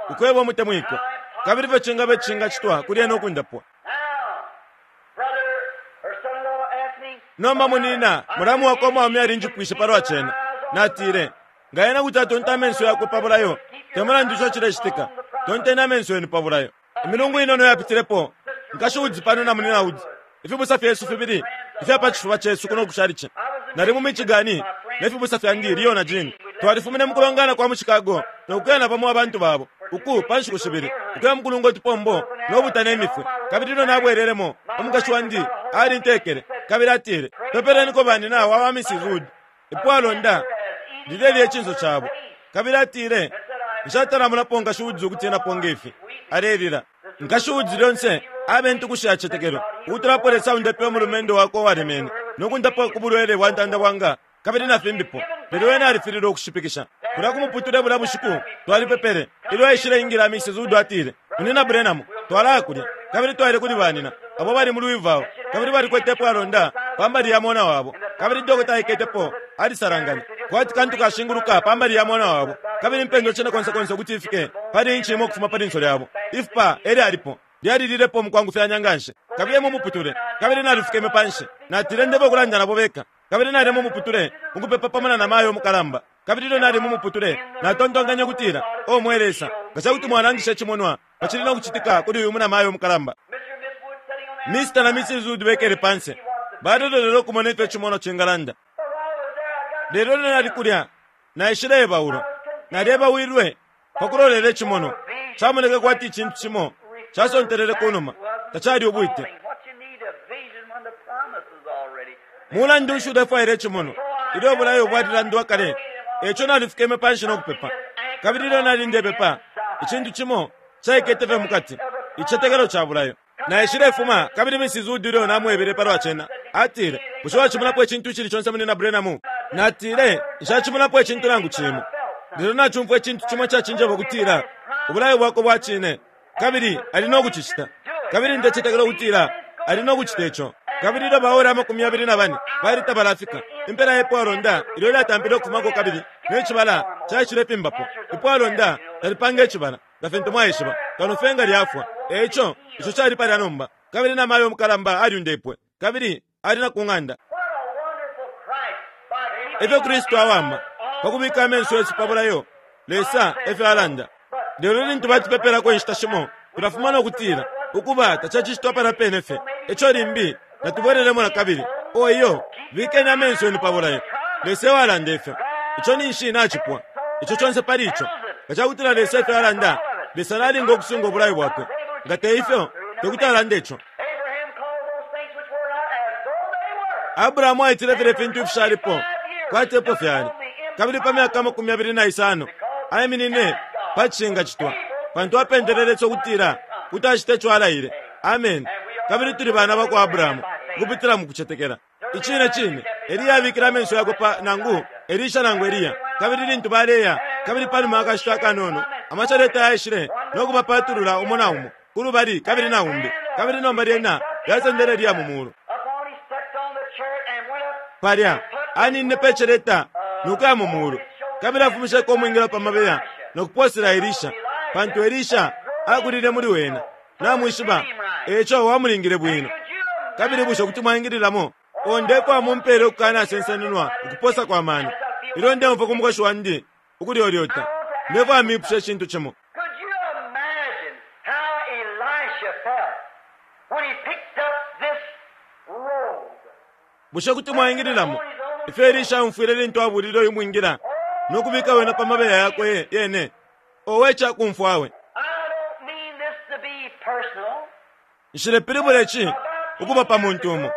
ukweba umutemwikwa, kabili ifyo cingaba icishingacitwa kuli ena ukundapwa. Nomba munina, mulamu wakwe umwaume alinjipwishe palwa cena. Natile, Nga ena kuti atonta amenso yakwe pa bulayo, te mulandu ico cilecitika, tonteni amenso yenu pa bulayo. Imilungu inono yapitilepo, Nkashi Woods pano na Munyina Woods, ifibusa fyesu fibili ifya pa cifuba cesu kuno ku chalichi. Nali mu Michigan ne fibusa fyandi Leo na Jean. Twalifumine mu kulongana kwa mu Chicago no kuya na bamo abantu babo uku pa nshiku shibili, ukuya mu kulunga utupombo no buta ne mifwi. Kabili ilyo nabwelelemo, umukashi wandi alintekele kabili atile, Pepeleniko banina wa ba Mrs. Wood. Ipwalonda lilelya icinso cabo. Kabili atile, Nshatala monapo Nkashi Woods ukutinapo nge fi. Alelila. Nkashi Woods lyonse abe intukushi ya citetekelo, ukutula apo Lesa aundepe umulumendo wakwe uwalemene, no kundapwa ku bulwele bwa ntandabwanga, kabili na fimbipo. Lelo ena alifililwe ukushipikisha. Kulya ku muputule bulya bushiku, twalipepele. Ilyo aishile ingila, Mrs. Wood atile, Munyina Branham, twalaya kulya. Kabili twaile kuli banina, abo bali mu Louisville, kabili balikwete ipwalonda pa mbali ya mona wabo. Kabili dokota aiketepo, alisalanganya, kwati kantu kashinguluka pa mbali ya mona wabo, kabili impendwa cinekonsekonse ukuti ifike pali inchi imo ukufuma pa linso lyabo. Ifupa e lyalipo, lyalililepo mukwangufyanya nganshi. Kabiye mu muputule. Kabili nalifukeme panshi. Natile, Ndeba ukulanda nabo beka. Kabili nali mu muputule, ukupepa pamo na namayo umukalamba. Kabili ilyo nali mu muputule, natontonkenye ukutila, O mwe Lesa, nga ca kuti mwalangisha icimonwa pa cili no kucitika kuli uyu munamayo umukalamba. Mr. na Mrs. Wood bekele panse, balelolela ukumona ifyo icimonwa cingalanda. Lelo ilyo nali kulya, naishileebaulwa. Nalyebawilwe pa kulolela icimonwa. Camoneke kwati icintu cimo casontelele ku numa, tacali ubwite. Mulandu nshi ulefwaila icimonwa ilyo ubulayo bwalilandwa kale? E ico nalifukeme panshi no kupepa. Kabili ilyo nali ndepepa, icintu cimo caikete fye mu kati, icitetekelo ca bulayo. Naishilefuma, kabili Mrs. Wood ilyo namwebele palwa cena, atile, Bushe wacimonapo icintu icili conse, Munyina Branham? Natile, Nshacimonapo icintu nangu cimo. Lelo nacumfwa icintu cimo icacinjeba ukutila ubulayo bwakwe bwa cine, kabili ali no kucicita. Kabili ndecetekela ukutila ali no kucita ico. Kabili ilyo baora 24 bali tabalafika, impela ye pwalonda ilyo lyatampile ukufumako kabili ne cibala caishilefimbapo. Ipwalonda talipanga icibala, nga fintu mwaishiba, kano fye nga lyafwa. E ico, ico cali palya nomba. Kabili namayo umukalamba alyundepwe, kabili ali na ku ng'anda. Ifyo Kristu awama! Pa kubika amenso yesu pa bulayo, Lesa efyo alanda. Lelo lintu batupepelako inshita shimo, tulafuma no kutila, Ukuba, tacacicitwa palya pene fye. E co limbi natubwelelemo na kabili. Oh, iyo! Bikeni amenso yenu pa bulayo. Lesa ewalanda ifyo. Ico ninshi nacipwa. Ico conse pali ico. Nga cakutila Lesa efyo alanda, Lesa nalinga ukusunga ubulayo Bwakwe. Nga te ifyo, tekuti alande ico. Abrahamu aitile filya fintu ifishalipo kwati epo fyali, kabili pa myaka 25 aiminine pa cishingacitwa, pantu apendele Lesa ukutila kuti acita ico alaile. Ameni. Kabili tuli bana ba kwa Abrahamu ukupitila mu kucetekela. Icine cine, Eliya abikile amenso yakwe pa, nangu, Elisha nangu Eliya. Kabili lintu baleya, kabili panuma ya kashita akanono, amaceleta yaishile no kubapatulula umo na umo, kulubali kabili na umbi, kabili nomba lyena lyasendele Eliya mu mulu. Palya aninine pe celeta no kuya mu mulu, kabili afumisheko umwingila pa mabeya no kupoosela Elisha, pantu Elisha akulile muli wena. Namwishiba, e co wamulingile bwino. Kabili bushe kuti mwaingililamo? O ndefwaya mumpele ukukanasensenunwa ukuposa kwa mano ilyo ndeumfwa ku mukoshi wandi ukulyolyota. Ndefwaya mipushe icintu cimo. Could you imagine how Elisha felt when he picked up this robe? Bushe kuti mwaingililamo ifyo Elisha aumfwile lintu abuulile uyu mwingila no kubika wena pa mabeya yakwe yene? Owe ca kumfwa we! I don't mean this to be personal. Nshilepilibula ici ukuba pa muntu umo,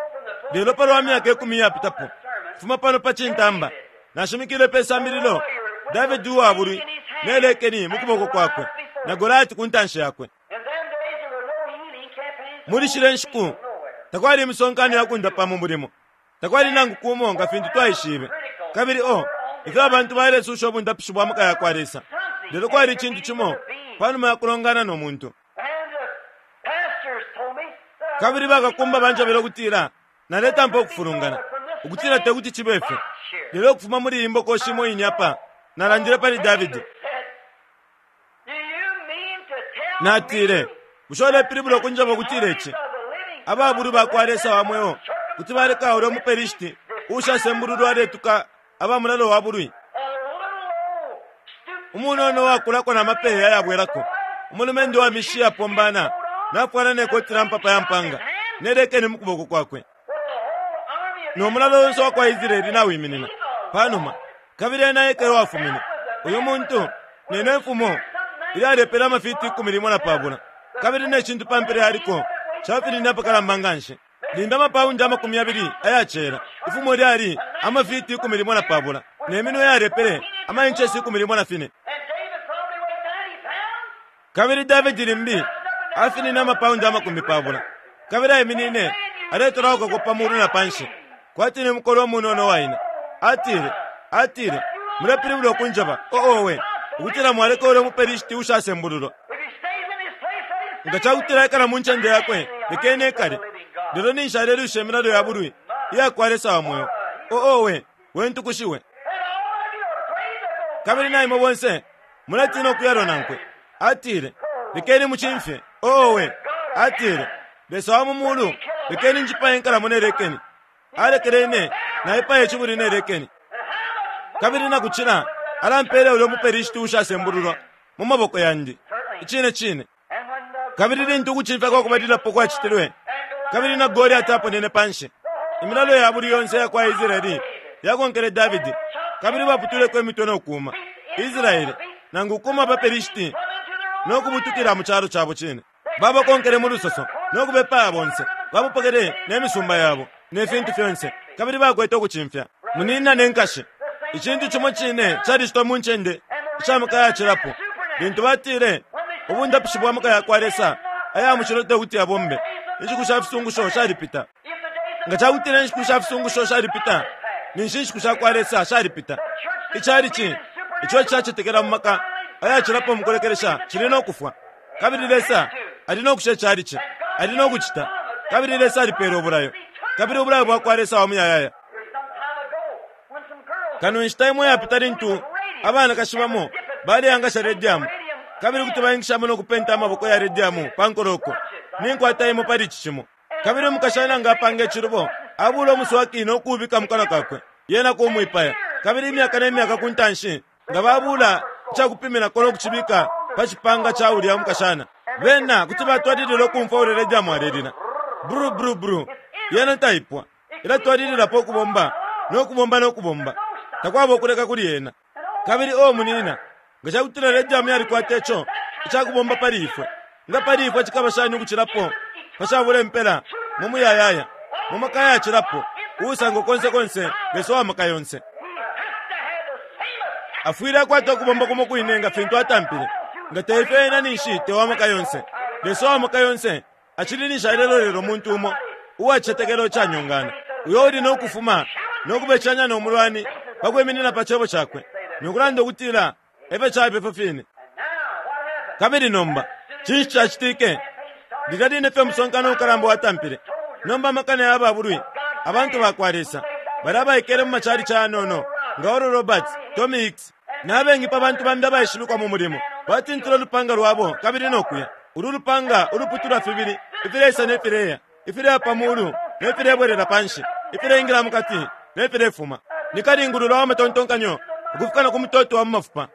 lelo palwa myaka ikumi iyapitapo, kufuma pano pa cintamba, nashimikile pe sambililo Davidi uwa bulwi ne lekeni mu kuboko kwakwe na Goliati ku ntanshi yakwe. In them days there were no healing campaigns. Muli shilya nshiku takwali imisonkano ya kundapa mu mulimo, takwali nangu kumo nga fintu twaishibe. Kabili o ifyo abantu balesusha ubundapishi bwa maka ya kwa Lesa! Lelo kwali icintu cimo pa numa ya kulongana no muntu. And the pastors told me that I Kabili bakakumba banjebele ukutila naletampa ukufulungana, ukutila te kuti cibe fyo. Lelo ukufuma muli iyi mbokoshi imo ine apa, nalandile pali Davidi. said, Do you mean to tell Natile, me bushe ulepilibula ukunjeba ukutila ici? Ababulwi ba kwa Lesa wa mweo kuti baleka ulya umuPelishiti uushasembululwa aletuka aba mulalo wa bulwi? a little old stupid Umunono uwakulako na mapeya ayabwelako, umulumendo wa mishi yapombana, nafwala ne koti la mpapa ya mpanga, ne lekeni mu kuboko kwakwe. with the whole army of No mulalo onse wa kwa Israeli nawiminina pa numa, kabili ena eka ewafumine. Uyu muntu nene mfumo ilyalepele amafiti 13, kabili ne cintu pa mpela yaliko cafinine apakalamba nga nshi, limbi amapaundi 20 aya cela. Ifumo lyali amafiti 13, ne minwe yalepele amainchesi 14. and David probably weighed 90 pounds. Kabili Davidi limbi afinine amapaundi 20, kabili aiminine aletolauka pa mulu na panshi kwati ni mukolwe umunono waina. Atile, atile, mulepilibula ukunjeba, o owe, ukutila mwaleka ulya umuPelishiti uushasembululwa. If he stays in his place, let him Nga stay ca kutila aikala mu ncende yakwe, lekeni ekale. Lelo ninshi alelwisha imilalo ya bulwi iya kwa Lesa wa mweo. O owe, we ntukushiwe. And all of you are afraid to go. Kabili na imwe bonse muletina ukuyalwa nankwe. Atile, lekeni mucimfye. Owe, atile, Lesa wa mu mulu, lekeni njipaye inkalamo ne lekeni. Alekele ine naipaye icibuli ne lekeni. Kabili na kucila, alampeele ulya umuPelishiti uushasembululwa mu maboko yandi. Icine cine. And when the Kabili lintu ukucimfya kwa kubalilapo kwacitilwe, kabili na Goliati aponene pa nshi, imilalo ya bulwi yonse iya kwa Israeli yakonkele Davidi, kabili baputwileko imitwe no kuuma Israele, nangu ukuuma abaPelishiti no kubutukila mu calo cabo cine. Babakonkele mu lusoso no kubepaya bonse, babapokele ne misumba yabo ne fintu fyonse, kabili bakwete ukucimfya. Munina ne nkashi, icintu cimo cine calicitwa mu ncende isha maka yacilapo. Lintu batile ubundapishi bwa maka ya kwa Lesa aya mushilo te kuti yabombe, inshiku sha fisungusho shalipita. if the days of Nga ca kutila inshiku sha fisungusho shalipita, ninshi inshiku sha kwa Lesa shalipita. Icalici ico icacetekela mu maka ayacilapo mu kulekelesha cili no kufwa. Kabili Lesa ali no kusha icalici, ali no kucita. Kabili Lesa alipeela ubulayo, kabili ubulayo bwa kwa Lesa wa muyayaya. There's some time ago when some girls Kano inshita imo yapita lintu abanakashi bamo baleangasha rediamu, kabili kuti baingishamo no kupenta amaboko ya rediamu pa nkoloko. Ninkwata imo pali ici cimo. Kabili umukashana nga apanga icilubo, abuula umuswaki no kuubika mu kanwa kakwe, yena kumwipaya. Kabili imyaka ne myaka ku ntanshi, nga babuula ica kupiminako no kucibika pa cipanga ca ulya mukashana, bena kuti batwalilila ukumfwa ulya rediamu alelila, Bru, bru, bru. Yena taipwa. Ilatwalililapo ukubomba no kubomba no kubomba. Takwaba ukuleka kuli yena. Kabili, oh, munina, nga ca kutila rediamu yalikwata ico icakubomba pali ifwe, nga pali ifwe cikaba shani ukucilapo pashabula impela mu muyayaya, mu maka ayacilapo, uusangwa konse konse, Lesa wa maka yonse. Afwile akwata ukubomba kumo kwine nga fintu atampile. Nga te ifyo ena ninshi te wa maka yonse. Lesa wa maka yonse acili ninshi alelolela umuntu umo uwa cicetekelo icanyongana, uyo uli no kufuma no kubecanya no mulwani pa kwiminina pa cebo cakwe no kulanda ukutila e fyo caba ifyo fine. Kabili nomba cinshi cacitike? Lilya line fye umusonkano ukalamba watampile, nomba amakana ya babulwi, abantu ba kwa Lesa, balya abaikele mu macalici ayanono nga Oral Roberts, Tommy Hicks, na bengi pa bantu bambi abaishibikwa mu mulimo, batintile ulupanga lwabo kabili no kuya. Ulu lupanga uluputulwa fibili, ifileisa ne fileya, ifileya pa muulu ne filebwelela pa nshi, ifileingila mu kati ne filefuma. Ni kalingulula wa matontonkanyo ukufika na ku mutoto wa mu mafupa.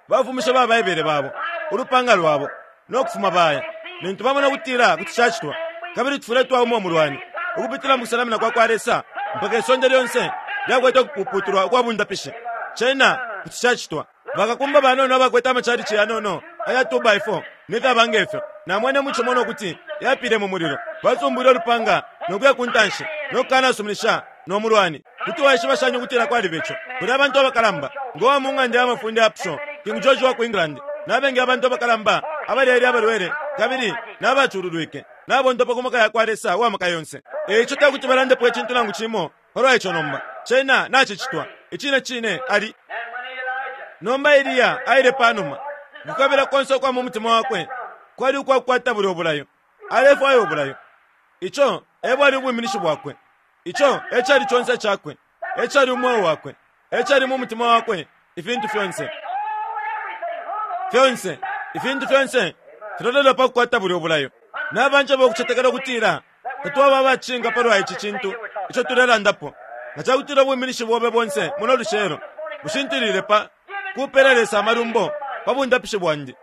Bafumishe ba Baibele babo, ulupanga lwabo, no kufuma baya. Lintu bamona ukutila kuti cacitwa, kabili tufwile twauma umulwani ukupitila mu kusenamina kwa kwa Lesa mpaka isonde lyonse lyakwete ukupuputulwa ukwa bundapishi, cena kuti cacitwa. Bakakumba banono abakwete amacalici yanono aya 2x4 ne fyaba nge fyo, namwene mu cimonwa ukuti yapile mu mulilo. Basumbwile ulupanga no kuya ku ntanshi no kukanasuminisha no mulwani. Kuti waishiba shani ukutila kwaliba ico? Kuli abantu abakalamba, ngo wa mu ng'anda ya mafunde ya Pshaw, King George wa ku England, na bengi abantu abakalamba abalele abalwele kabili na bacululwike, nabondapwa ku maka ya kwa Lesa Uwa maka yonse. E ico te kuti balandepo icintu nangu cimo palwa ico nomba. Cena nacicitwa. Icine cine, ali. Nomba Eliya aile panuma. Ukukabila konse ukwa mu mutima wakwe kwali ukwa kukwata bulyo bulayo. Alefwaya ubulayo. Ico e bwali ubwiminishi bwakwe. Ico e cali conse icakwe. E cali umweo wakwe. E cali mu mutima wakwe, ifintu fyonse. Fyonse, ifintu fyonse filolela pa kukwata bulyo bulayo. Nabanjeba ukucetekela ukutila tatwaba abacinga palwa ici cintu ico tulelandapo. Nga cakutila ubwiminishi bobe bonse muno lucelo bushintilile pa kupela Lesa amalumbo pa bundapishi bwandi,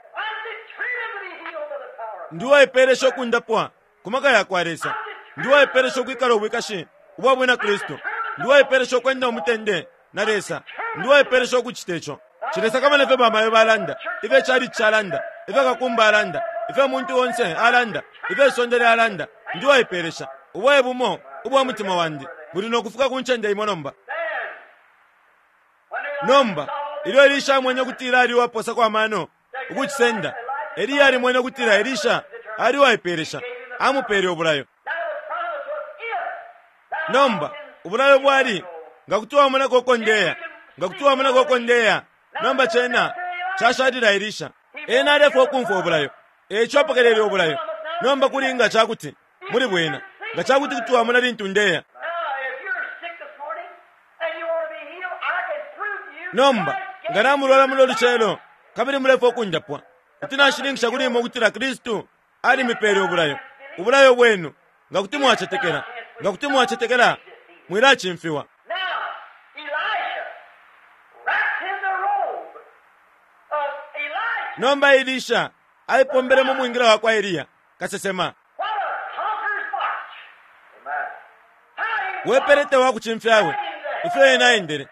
ndi uwaipelesha ukundapwa ku maka ya kwa Lesa. Ndi uwaipelesha ukwikala ubwikashi ubwa Bwina Kristu. Ndi uwaipelesha ukwenda umutende na Lesa. Ndi uwaipelesha ukucita ico. Nshilesakamana ifyo bamayo balanda, ifyo icalici calanda, ifyo kakumba alanda, ifyo umuntu onse alanda, ifyo isonde lyalanda. Ndi uwaipelesha. Ubo e bumo ubwa mutima wandi. Buli no kufika ku ncende imo nomba. Nomba, ilyo Elisha amwene ukutila ali uwaposako amano ukucisenda, Eliya alimwene ukutila Elisha ali uwaipeelesha, amupeele ubulayo. Nomba, ubulayo bwali, Nga kuti wamonako uko ndeya, nga kuti wamonako uko ndeya. Nomba cena cashalila Elisha. Ena alefwaya ukumfwa ubulayo, e ico apokelele ubulayo. Nomba kuli nga ca kuti, muli bwena, nga ca kuti kuti wamona lintu ndeya. Nomba, nga namulwala muno lucelo kabili mulefwaya ukundapwa, kuti nashininkisha kuli imwe ukutila Kristu alimipele ubulayo, ubulayo bwenu, nga kuti mwacetekela. Nga kuti mwacetekela, mwilacimfiwa. Nomba Elisha aipombele mu mwingila wa kwa Eliya kasesema. We pelete wa kucimfya we, ifyo ena aendele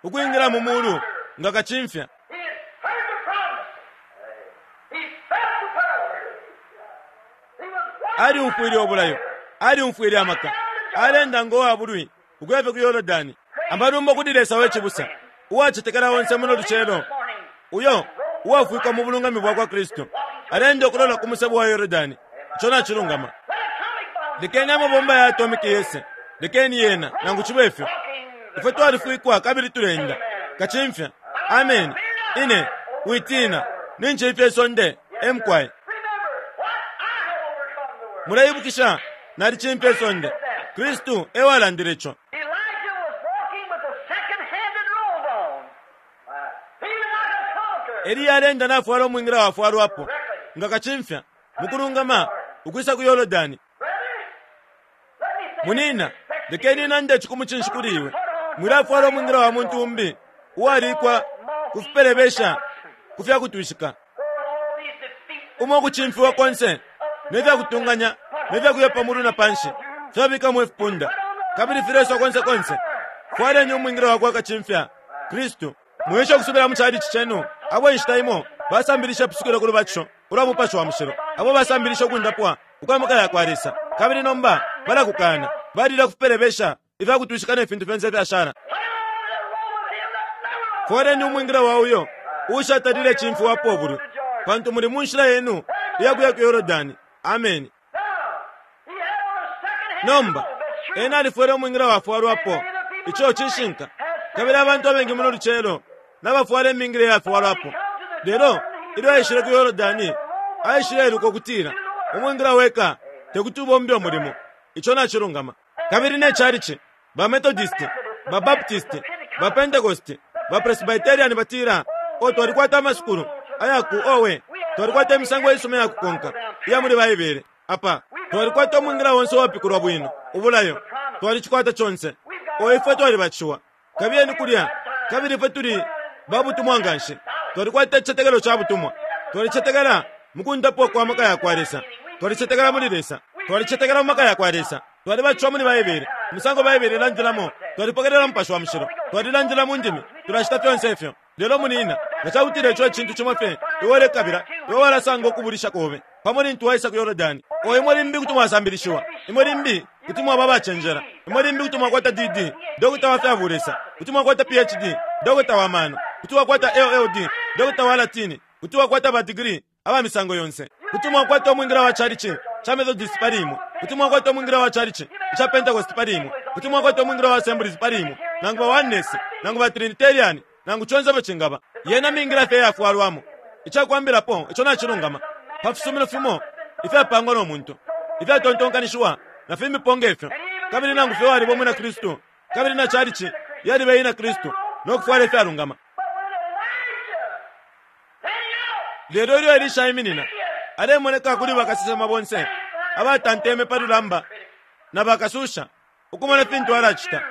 ukwingila mu mulu nga kacimfya. Alyumfwile ubulayo, alyumfwile amaka, alenda ngo wa bulwi ukuya fye ku Yordani. Amalumbo kuli Lesa we cibusa, uwacetekela onse muno lucelo, uyo uwafwikwa mu bulungami bwa kwa Kristu, aleenda ukulola ku musebo wa Yordani. Ico nacilungama. Lekeni amabomba ya atomiki yese, lekeni yena, nangu cibe fyo. Ifwe twalifwikwa kabili tuleenda. Kacimfya. Ameni. Ine, witina. Nincimfya isonde. E mukwai. Muleibukisha, nalicimfya isonde. Kristu e walandile ico. Eliya aleenda nafwala umwingila wafwalwapo nga kacimfya mu kulungama ukwisa ku Yordani. Munina, lekeni nande ici ku mucinshi kuli iwe. Mwilafwala umwingila wa muntu umbi. uwalikwa ku fipelebesha ku fya kutwishika, umo ukucimfiwa konse ne fya kutunganya ne fya kuya pa mulu na panshi fyabikamo ifipunda kabili fileswa konse konse. Fwaleni umwingila wa kwa kacimfya, Kristu. Mwiesha ukusubila mu chalichi cenu abo inshita imo basambilisha ipusukilo ku lubatisho ulwa Mupashi wa Mushilo, abo basambilisha ukundapwa ukwa maka ya kwa Lesa, kabili nomba balakukana, balila kupelebesha ifya kutwishika ne fintu fyonse ifyashala. Fwaleni umwingila wa uyo uushatalile cimfiwapo ubulwi, pantu muli mu nshila yenu iya kuya ku Yordani. Ameni. Nomba, ena alifwele umwingila wafwalwapo, ico cishinka. Kabili abantu abengi muno lucelo nabafwala imingila iyafwalwapo. Lelo ilyo aishile ku Yordani, aishileiluka ukutila umwingila weka tekuti ubombe umulimo. Ico nacilungama. Kabili ne chalichi, ba Methodist, ba Baptist, ba Pentecost, ba Presbyterian batila, "O, twalikwata amasukulu aya ku, owe, twalikwata imisango isuma ya kukonka iya muli Baibele. Apa twalikwata umwingila onse uwapikulwa bwino, ubulayo. Twalicikwata conse. O, ifwe twalibatishiwa. Kabiyeni kulya, kabili ifwe tuli babutumwa nganshi. Twalikwata icicetekelo ca butumwa. Twalicetekela mukundapwa kwa maka ya kwa Lesa. Twalicetekela muli Lesa. Twalicetekela mu maka ya kwa Lesa. Twalibatishiwa muli Baibele, umusango Baibele ilandilamo. Twalipokelela Mupashi wa Mushilo. Twalilandila mu ndimi. Tulacita fyonse ifyo. Lelo, munina, nga ca kutila ico e cintu cimo fye iwe ulekabila, iwe walasanga ukubulisha kobe pamo lintu waisa ku Yordani. O imwe limbi kuti mwasambilishiwa. Imwe limbi kuti mwaba abacenjela. Imwe limbi kuti mwakwata D.D., Dokota wa fya bulesa. Kuti mwakwata Ph.D., Dokota wa mano. Kuti wakwata LL.D., Dokota wa Latini. Kuti wakwata ba digiri aba misango yonse. Kuti mwakwata umwingila wa chalichi ca Methodist pali imwe. Kuti mwakwata umwingila wa chalichi ca Pentecost pali imwe. Kuti mwakwata umwingila wa Assemblies pali imwe, nangu ba Oneness, nangu ba Trinitarian, nangu conse ifyo cingaba. Yena mingila fye iyafwalwamo. Icakwambilapo, ico nacilungama, pa fisumino fimo ifyapangwa no muntu, ifyatontonkanishiwa, na fimbipo nge fyo. Kabili nangu fye waliba umwina Kristu, kabili na chalichi yaliba ina Kristu, no kufwala ifyalungama. Lelo ilyo Elisha aiminina, alemoneka kuli bakasesema bonse abatanteme pa lulamba na bakasusha, ukumona fintu alacita.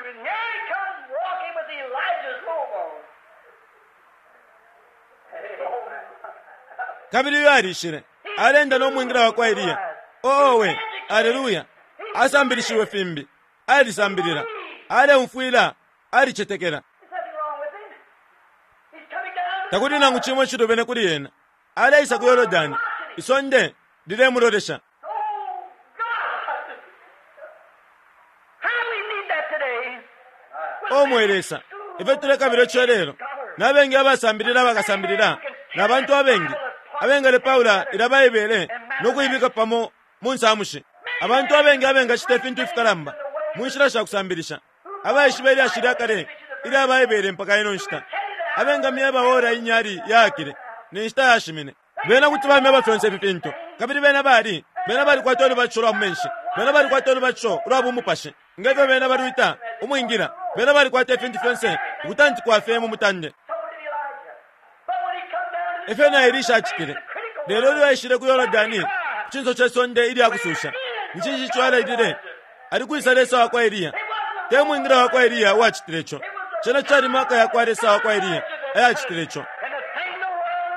Kabili uyo alishile, alenda no mwingila wa kwa Eliya. Owe, aleluya! Asambilishiwe fimbi, alisambilila, aleumfwila, alicetekela. Takuli nangu cimo icilubene kuli ena. Aleisa ku Yordani, isonde lilemulolesha. O mwe Lesa, ifyo tulekabila ico lelo! Na bengi abasambilila bakasambilila, na bantu abengi abengalepaula ilya Baibele no kuibika pamo mu nsamushi, abantu abengi abengacita ifintu ifikalamba mu nshila sha kusambilisha, abaishiba ilyashi lya kale ilya Baibele mpaka ino nshita, abengamyeba ora inyali yaakile ne nshita yashimine. Bena kuti bamyeba fyonse ifi fintu. Kabili bena bali, bena balikwata ulubatisho lwa mu menshi. Bena balikwata ulubatisho ulwa bumupashi, nge fyo bena balwita, umwingila. Bena balikwata ifintu fyonse ukutantikwa fye mu mutande. Efyo na Elisha acitile. Lelo ilyo aishile ku Yordani, ku cinso ce sonde ilya kususha, ni cinshi ico alailile? Ali kwisa Lesa wa kwa Eliya? Te mwingila wa kwa Eliya uwacitile ico. Cena cali maka ya kwa Lesa wa kwa Eliya ayacitile ico.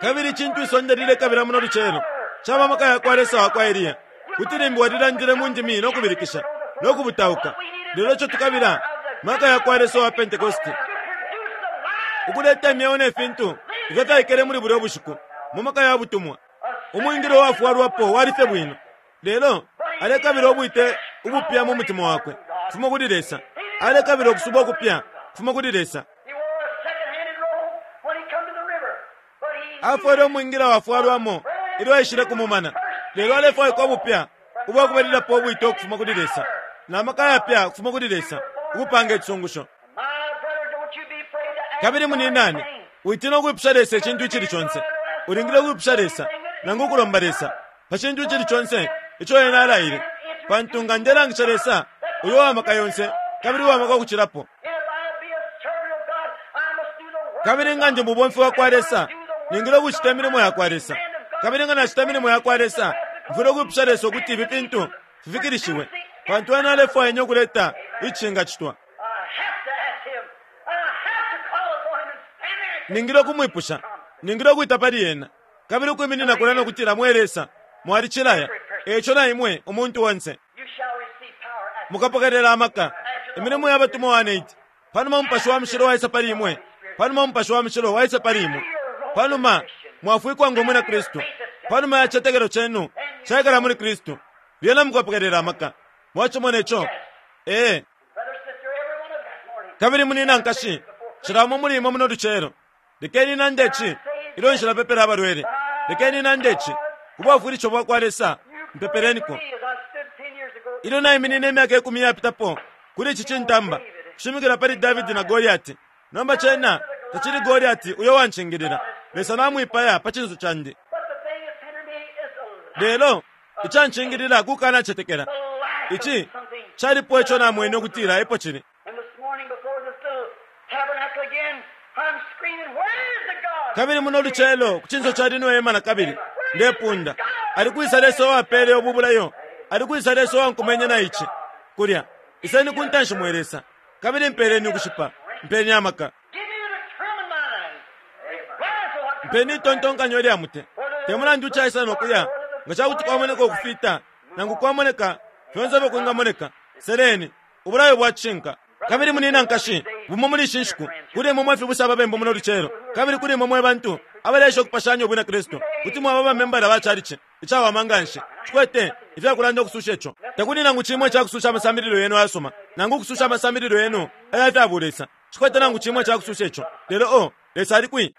Kabili icintu isonde lilekabila muno lucelo caba maka ya kwa Lesa wa kwa Eliya. Kuti limbi walilandile mu ndimi no kubilikisha no kubutauka, lelo ico tukabila maka ya kwa Lesa wa Pentekoste ukuleta imyeo ne fintu ifyo fyaikele muli bulya bushiku mu maka ya butumwa. Umwingila uwafwalwapo wali fye bwino, lelo alekabila ubwite ubupya mu mutima wakwe kufuma kuli Lesa. Alekabila ukusubwa ukupya kufuma kuli Lesa. Afwele umwingila wafwalwamo ilyo aishile ku mumana, lelo alefwaikwa ubupya ubwa kubalilapo ubwite ukufuma kuli Lesa na maka ayapya ukufuma kuli Lesa ukupanga icisungusho. Kabili muninane, witina ukwipusha Lesa icintu icili conse. Ulingile ukwipusha Lesa nangu ukulomba Lesa pa cintu icili conse ico ena alaile, pantu nga ndelangisha Lesa uyo uwa maka yonse kabili uwa maka ukucilapo, kabili nga ndi mubomfi wa kwa Lesa, ningile ukucita imilimo ya kwa Lesa. Kabili nga nacita imilimo ya kwa Lesa, mfwile ukwipusha Lesa ukuti ifi fintu fifikilishiwe, pantu ena alefwaya ine ukuleta icingacitwa. Ningile ukumwipusha. Ningile ukwita pali ena. Kabili ukwiminina kulya no kutila, Mwe Lesa, mwalicilaya. Eico na imwe, umuntu onse. Mukapokelela amaka. Imilimo ya Batumwa 1:8. Panuma Umupashi wa Mushilo waisa pali imwe, panuma Umupashi wa Mushilo waisa pali imwe, panuma mwafwikwa ngo mwina Kristu, panuma ya citetekelo cenu caikala muli Kristu, lyena mukapokelela amaka. Mwacimona ico? Ee. Kabili munina nkashi, cila umo muli imwe muno lucelo, lekeni nande ici ilyo nshilapepela abalwele. Lekeni nande ici ku bwafwilisho bwa kwa Lesa, mpepeleniko. Ilyo naiminine imyaka ikumi iyapitapo kuli ici cintamba, kushimikila pali Davidi na Goliati, nomba cena tacili Goliati uyo wancingilila. Lesa namwipaya pa cinso candi. Lelo icancingilila kukanacetekela. Ici calipo ico namwene ukutila epo cili. Kabili muno lucelo ku cinso ca lino hema na kabili ndepunda, ali kwisa Lesa uwapele ubu bulayo? Ali kwisa Lesa uwankumenye na ici kulya? Iseni ku ntanshi mwe Lesa, kabili mpeleni ukushipa, mpeni amaka. Mpeni itontonkanyo ilya mute. Te mulandu caisa no kuya, nga ca kuti kwamoneka ukufita nangu kwamoneka fyonse ifyo kwingamoneka, seleni ubulayo bwa cishinka. Kabili munina nkashi, bumo muli ishi nshiku, kuli imwe mwe fibusa ababembu muno lucelo, kabili kuli imwe mwe bantu abaleesha ukupashanya ubwina Kristu, kuti mwaba bamembala ba chalichi icawama nganshi, cikwete ifyakulanda ukususha ico. Takuli nangu cimo icakususha amasambililo yenu ayasuma, nangu ukususha amasambililo yenu aya fya bulesa. Cikwete nangu cimo icakususha ico. Lelo, oh, Lesa ali kwi?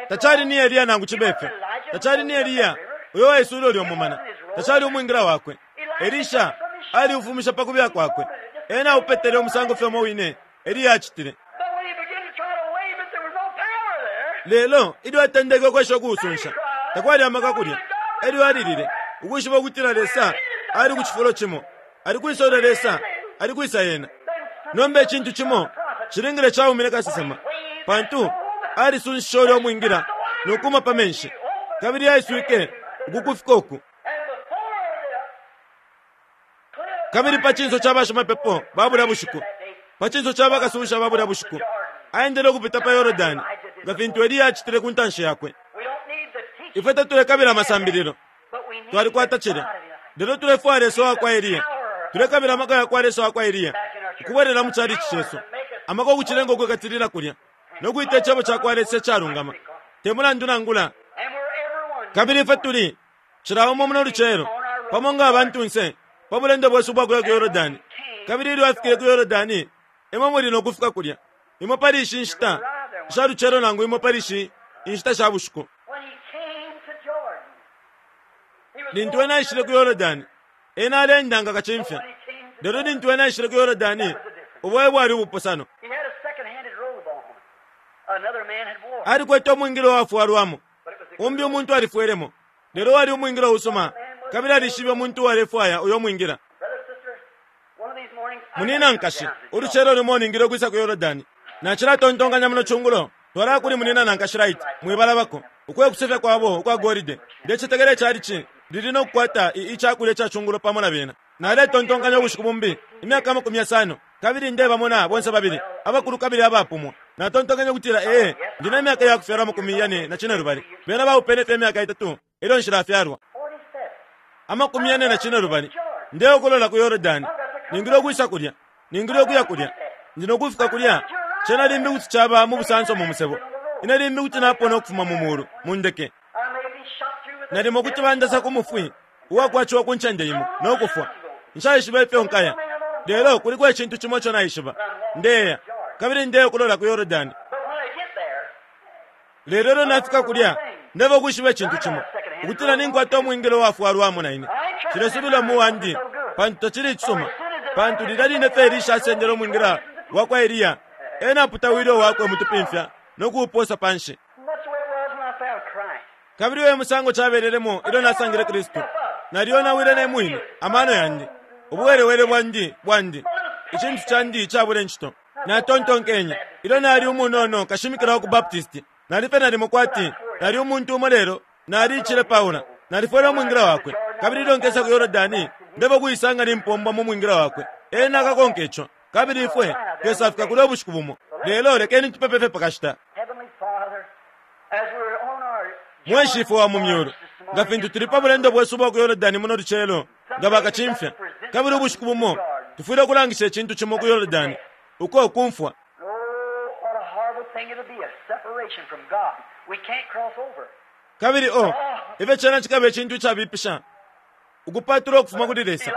Tacali ni Eliya nangu cibe fyo. Tacali ni Eliya uyo waiswile ulyo mumana. Tacali umwingila wakwe. Elisha aliufumisha pa kubila kwakwe. Ena aupetele umusango fye umo wine Eliya acitile. Lelo ilyo atendeke ukwesha ukuusunsha, takwali amaka kulya. Elyo alilile, ukwishiba ukutila Lesa ali ku cifulo cimo. Ali kwisa ulya Lesa? Ali kwisa ena? Nomba icintu cimo cilingile caumine kasesema, pantu alisunshishe ulya umwingila no kuma pa menshi, kabili yaiswike uku kufika uku. Kabili pa cinso ca bashimapepo ba bulya bushiku, pa cinso ca bakasusha ba bulya bushiku, aendele ukupita pa Yordani, nga fintu Eliya acitile ku ntanshi yakwe. Ifwe tatulekabila amasambililo. Twalikwata cilya. Lelo tulefwaya Lesa wa kwa Eliya. Tulekabila amaka ya kwa Lesa wa kwa Eliya ukubwelela mu chalichi cesu, amaka ukucilenga ukwikatilila kulya no kwita Icebo ca kwa Lesa icalungama, te mulandu nangula. Kabili ifwe tuli, cila umo muno lucelo, pamo nga abantunse, pa bulendo bwesu ubwa kuya ku Yordani. Kabili ilyo afikile ku Yordani, imwe muli no kufika kulya, imo pali ishi nshita sha lucelo nangu imo pali ishi inshita sha bushiku. Lintu ena aishile ku Yordani, ena aleenda nga kacimfya. Lelo lintu ena aishile ku Yordani, ubo e bwali ubupusano. Alikwete umwingila uwafwalwamo, umbi umuntu alifwelemo, lelo wali umwingila usuma, kabili alishibe umuntu uwalefwaya uyo mwingila. Munina nkashi, ulucelo lumo ningile ukwisa ku Yordani. Nacilatontonkanya muno cungulo, twalaya kuli munina na nkashi Wright, mwibalabako, uko ekusefya kwabo ukwa golide. Ndecetekela icalici lili no kukwata i, icakulya ca cungulo pamo na bena. Naletontonkanya ubushiku bumbi, imyaka 50, kabili ndebamona bonse babili, abakulu kabili abapumwa. Natontonkenye ukutila, Ee, ndi ne myaka iya kufyalwa 45. Bena baupene fye imyaka itatu ilyo nshilafyalwa. 45 Ndeokolola ku Yordani. Ningile ukwisa kulya. Ningile ukuya kulya. Ndi no kufika kulya. Cena limbi kuti caba mu busanso mu musebo. Ine limbi kuti napona ukufuma mu mulu, mu ndeke. Nalimo kuti bandasa ku mufwi uwakwaciwa ku ncende imo, no kufwa. Nshaishiba ifyo nkaya. Lelo kuliko icintu cimo ico naishiba. Ndeya, kabili ndeokolola ku Yordani. Lelo ilyo nafika kulya, ndeba ukwishiba icintu cimo, ukutila ninkwata umwingila uwafwalwamo na ine. Nshilesubila mu wandi, pantu tacili icisuma. Pantu lilya line fye Elisha asendele umwingila wa kwa Eliya, ena aputawile uwakwe mutupimfya no kuuposa panshi. Kabili uyo e musango cabelelemo ilyo nasangile Kristu. Nalyonawile ne mwine, amano yandi, ubuwelewele bwandi, bwandi, icintu candi icabule ncito. Natontonkenye, ilyo nali umunono kashimikila wa ku Baptist, nali fye nalimo kwati nali umuntu umo lelo nali icilepaula. Nalifwele umwingila wakwe, kabili ilyo nkesa ku Yordani, ndebo kuisanga nimpombwa mu mwingila wakwe. Ena akakonka ico, kabili ifwe tukesafika kulya ubushiku bumo. Lelo lekeni tupepe fye pa kashita. Mwe Shifwe wa mu Myulu, nga fintu tuli pa bulendo bwesu ubwa ku Yordani muno lucelo, nga bakacimfya, kabili ubushiku bumo tufwile ukulangisha icintu cimo ku Yordani, uko kumfwa. Oh, what a horrible thing it'll be, a separation from God. We can't cross over. Kabili o, ifyo cena cikaba icintu icabipisha, ukupatulwa ukufuma kuli Lesa.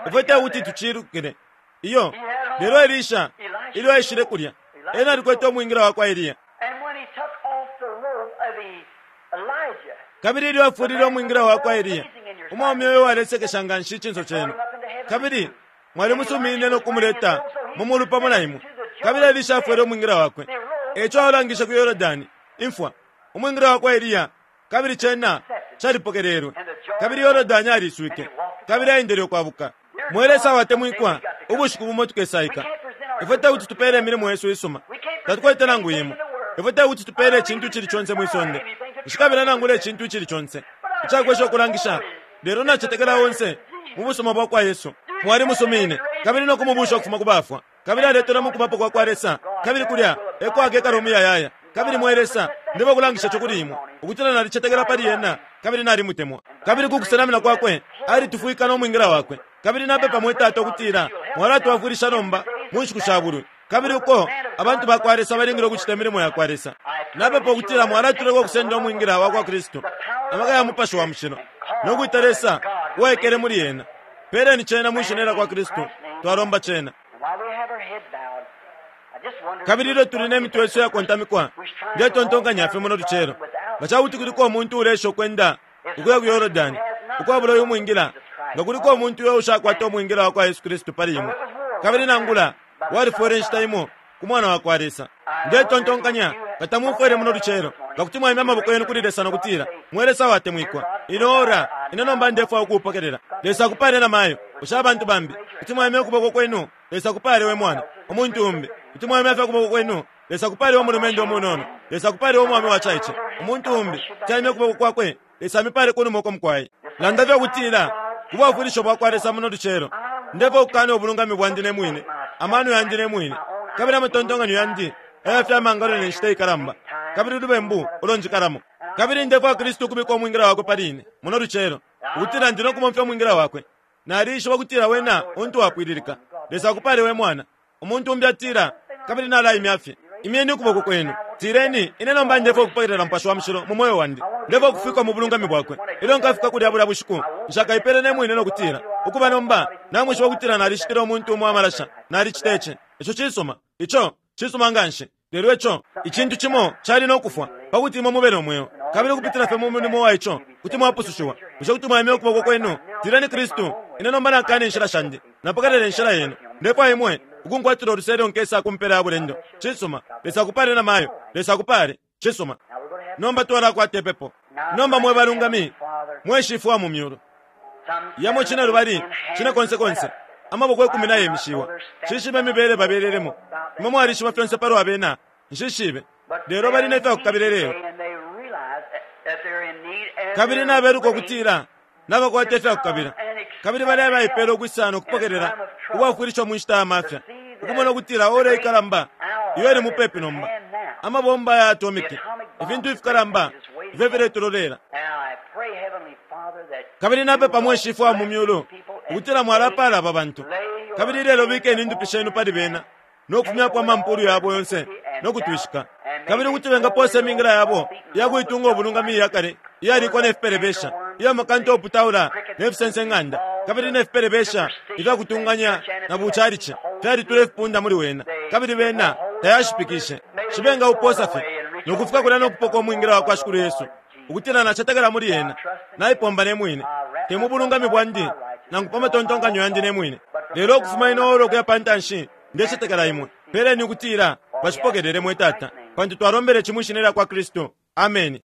Ifwe te kuti tucilukile. Iyo. Lelo Elisha, ilyo aishile kulya, ena alikwete umwingila wakwa Eliya. And when he took off the robe of the Elijah, Kabili ilyo afulile umwingila wakwa Eliya, umwaume uyo walesekesha nga nshi icinso cenu, kabili mwalimusumiine no kumuleta mu mulu pamo na imwe. Kabili Elisha afwele umwingila wakwe. Eco alangishe ku Yordani, imfwa, umwingila wakwa Eliya, kabili cena calipokelelwe. Kabili Yordani aliswike, kabili aendele ukwabuka. Mwe Lesa watemwikwa, ubushiku bumo tukesaika. Ifwe te kuti tupeele imilimo yesu isuma. Tatukwete nangu imo. Ifwe te kuti tupeele icintu icili conse mwi sonde. Nshikabila nangula icintu icili conse icakwesha ukulangisha, lelo nacetekela onse mu busuma bwa kwa Yesu. Mwalimusumiine, kabili no kumubuusha ukufuma ku bafwa, kabili aletelwe mu kubapo kwa kwa Lesa, kabili kulya e ko akekala umuyayaya. Kabili mwe Lesa, ndeba ukulangisha ico kuli imwe, ukutila nalicetekela pali ena kabili nalimutemwa. Kabili ku kusenamina kwakwe alitufwika no mwingila wakwe. Kabili napepa mwe Tata ukutila mwalatwafwilisha nomba mu nshiku sha bulwi, kabili uko abantu ba kwa Lesa balingile ukucita imilimo ya kwa Lesa. Napepa ukutila mwalatuleka ukusenda umwingila wa kwa Kristu, amaka ya Mupashi wa Mushilo, no kwita Lesa uwaikele muli ena. Peleni cena mwi Shina lya kwa Kristu, twalomba cena. And while we have our head bowed, I just wonder Kabili ilyo tuli ne mitwe yesu iyakontamikwa, ndetontonkanya fye muno lucelo, nga ca kuti kuliko umuntu uleesha ukwenda ukuya ku Yordani ukwabula uyu mwingila, nga kuliko umuntu uyo ushakwata umwingila wa kwa Yesu Kristu pali imwe, kabili nangula walifwele inshita imo ku Mwana wa kwa Lesa, ndetontonkanya nga tamumfwele muno lucelo, nga kuti mwaimya amaboko yenu kuli Lesa no kutila, Mwe Lesa watemwikwa, ino ora ine nomba ndefwaya ukuupokelela. Lesa akupale na mayo. Bushe abantu bambi kuti mwaimya ukuboko kwenu? Lesa akupale we mwana. Umuntu umbi kuti mwaimya fye ukuboko kwenu? Lesa akupale we mulumendo umunono. Lesa akupale we mwaume wacaice. Umuntu umbi kuti aimya ukuboko kwakwe? Lesa amipale kunuma uko mukwai. Landa fye ukutila, Ku bwafwilisho bwa kwa Lesa muno lucelo, ndefwaya ukukana ubulungami bwandi ne mwine, amano yandi ne mwine, kabili amatontonkanyo yandi aya fya mangalo ne nshita ikalamba, kabili ulubembu ulo njikalamo. Kabili ndefwaya Kristu ukubika umwingila wakwe pali ine muno lucelo, ukutila ndi no kubomfya umwingila wakwe. Nalishiba ukutila wena untu wapwililika. Lesa akupale we mwana. Umuntu umbi atila, Kabili nalaimya fye. Imyeni ukuboko kwenu. Tileni, Ine nomba ndefwaya ukupokelela Mupashi wa Mushilo mu mweo wandi. Ndefwaya ukufikwa mu bulungami Bwakwe. Ilyo nkafika kulya bulya bushiku, nshakaipele ne mwine no kutila, Ukuba nomba, namwishiba ukutila nalishitile umuntu umo amalasha. Nalicita ici. Ico cisuma. Ico cisuma nganshi. Lelo ico icintu cimo cali no kufwa, pa kuti imwe mube no mweo. Kabili ukupitila fye mu mulimo wa ico, kuti mwapusushiwa. Bushe kuti mwaimya ukuboko kwenu? Tileni, Kristu, ine nomba nakana inshila shandi. Napokelela inshila yenu. Ndefwaya imwe ukunkwatila uluse ilyo nkesa ku mpela ya bulendo. Cisuma. Lesa akupale, namayo. Lesa akupale. Cisuma. Nomba twalakwata ipepo. Nomba mwe balungami, mwe Shifwe wa mu Myulu. Yamo cinelubali, cinekonsekonse, amaboko ikumi nayemishiwa. Nshishibe imibele babelelemo. Imwe mwalishiba fyonse palwa bena. Nshishibe. Lelo bali ne fyakukabila ilelo. Kabili nabeluka ukutila nabakwata ifyakukabila. Kabili bali abaipela ukwisa no kupokelela ubwafwilisho mu nshita ya mafya, ukumona ukutila ora ikalamba iyo ili mupepi nomba. Amabomba ya atomiki, ifintu ifikalamba ifyo filetulolela. Kabili napepa mwe Shifwe wa mu Myulu ukutila mwalapaala aba bantu. Kabili ilelo bikeni indupi shenu pali bena no kufumyapo amampulu yabo yonse no kutwishika, kabili ukuti bengapoosa imingila yabo iya kuitunga ubulungami iya kale iyalikwa ne fipelebesha, iya makanta uputaula ne fisense ng'anda, kabili ne fipelebesha ifya kutunganya na bucalici fyalitula ifipunda muli wena, kabili bena tayashipikishe. Shi bengaupoosa fye no kufika kulya no kupoka umwingila wa kwa Shikulu Yesu, ukutila nacetekela muli ena, naipomba ne mwine, te mu bulungami bwandi nangu pa matontonkanyo yandi ne mwine, lelo ukufuma ino ora ukuya pa ntanshi, ndecetekela imwe. Peleni ukutila bacipokelele, mwe Tata, pantu twalombele ci mwi Shina lya kwa Kristu. Ameni.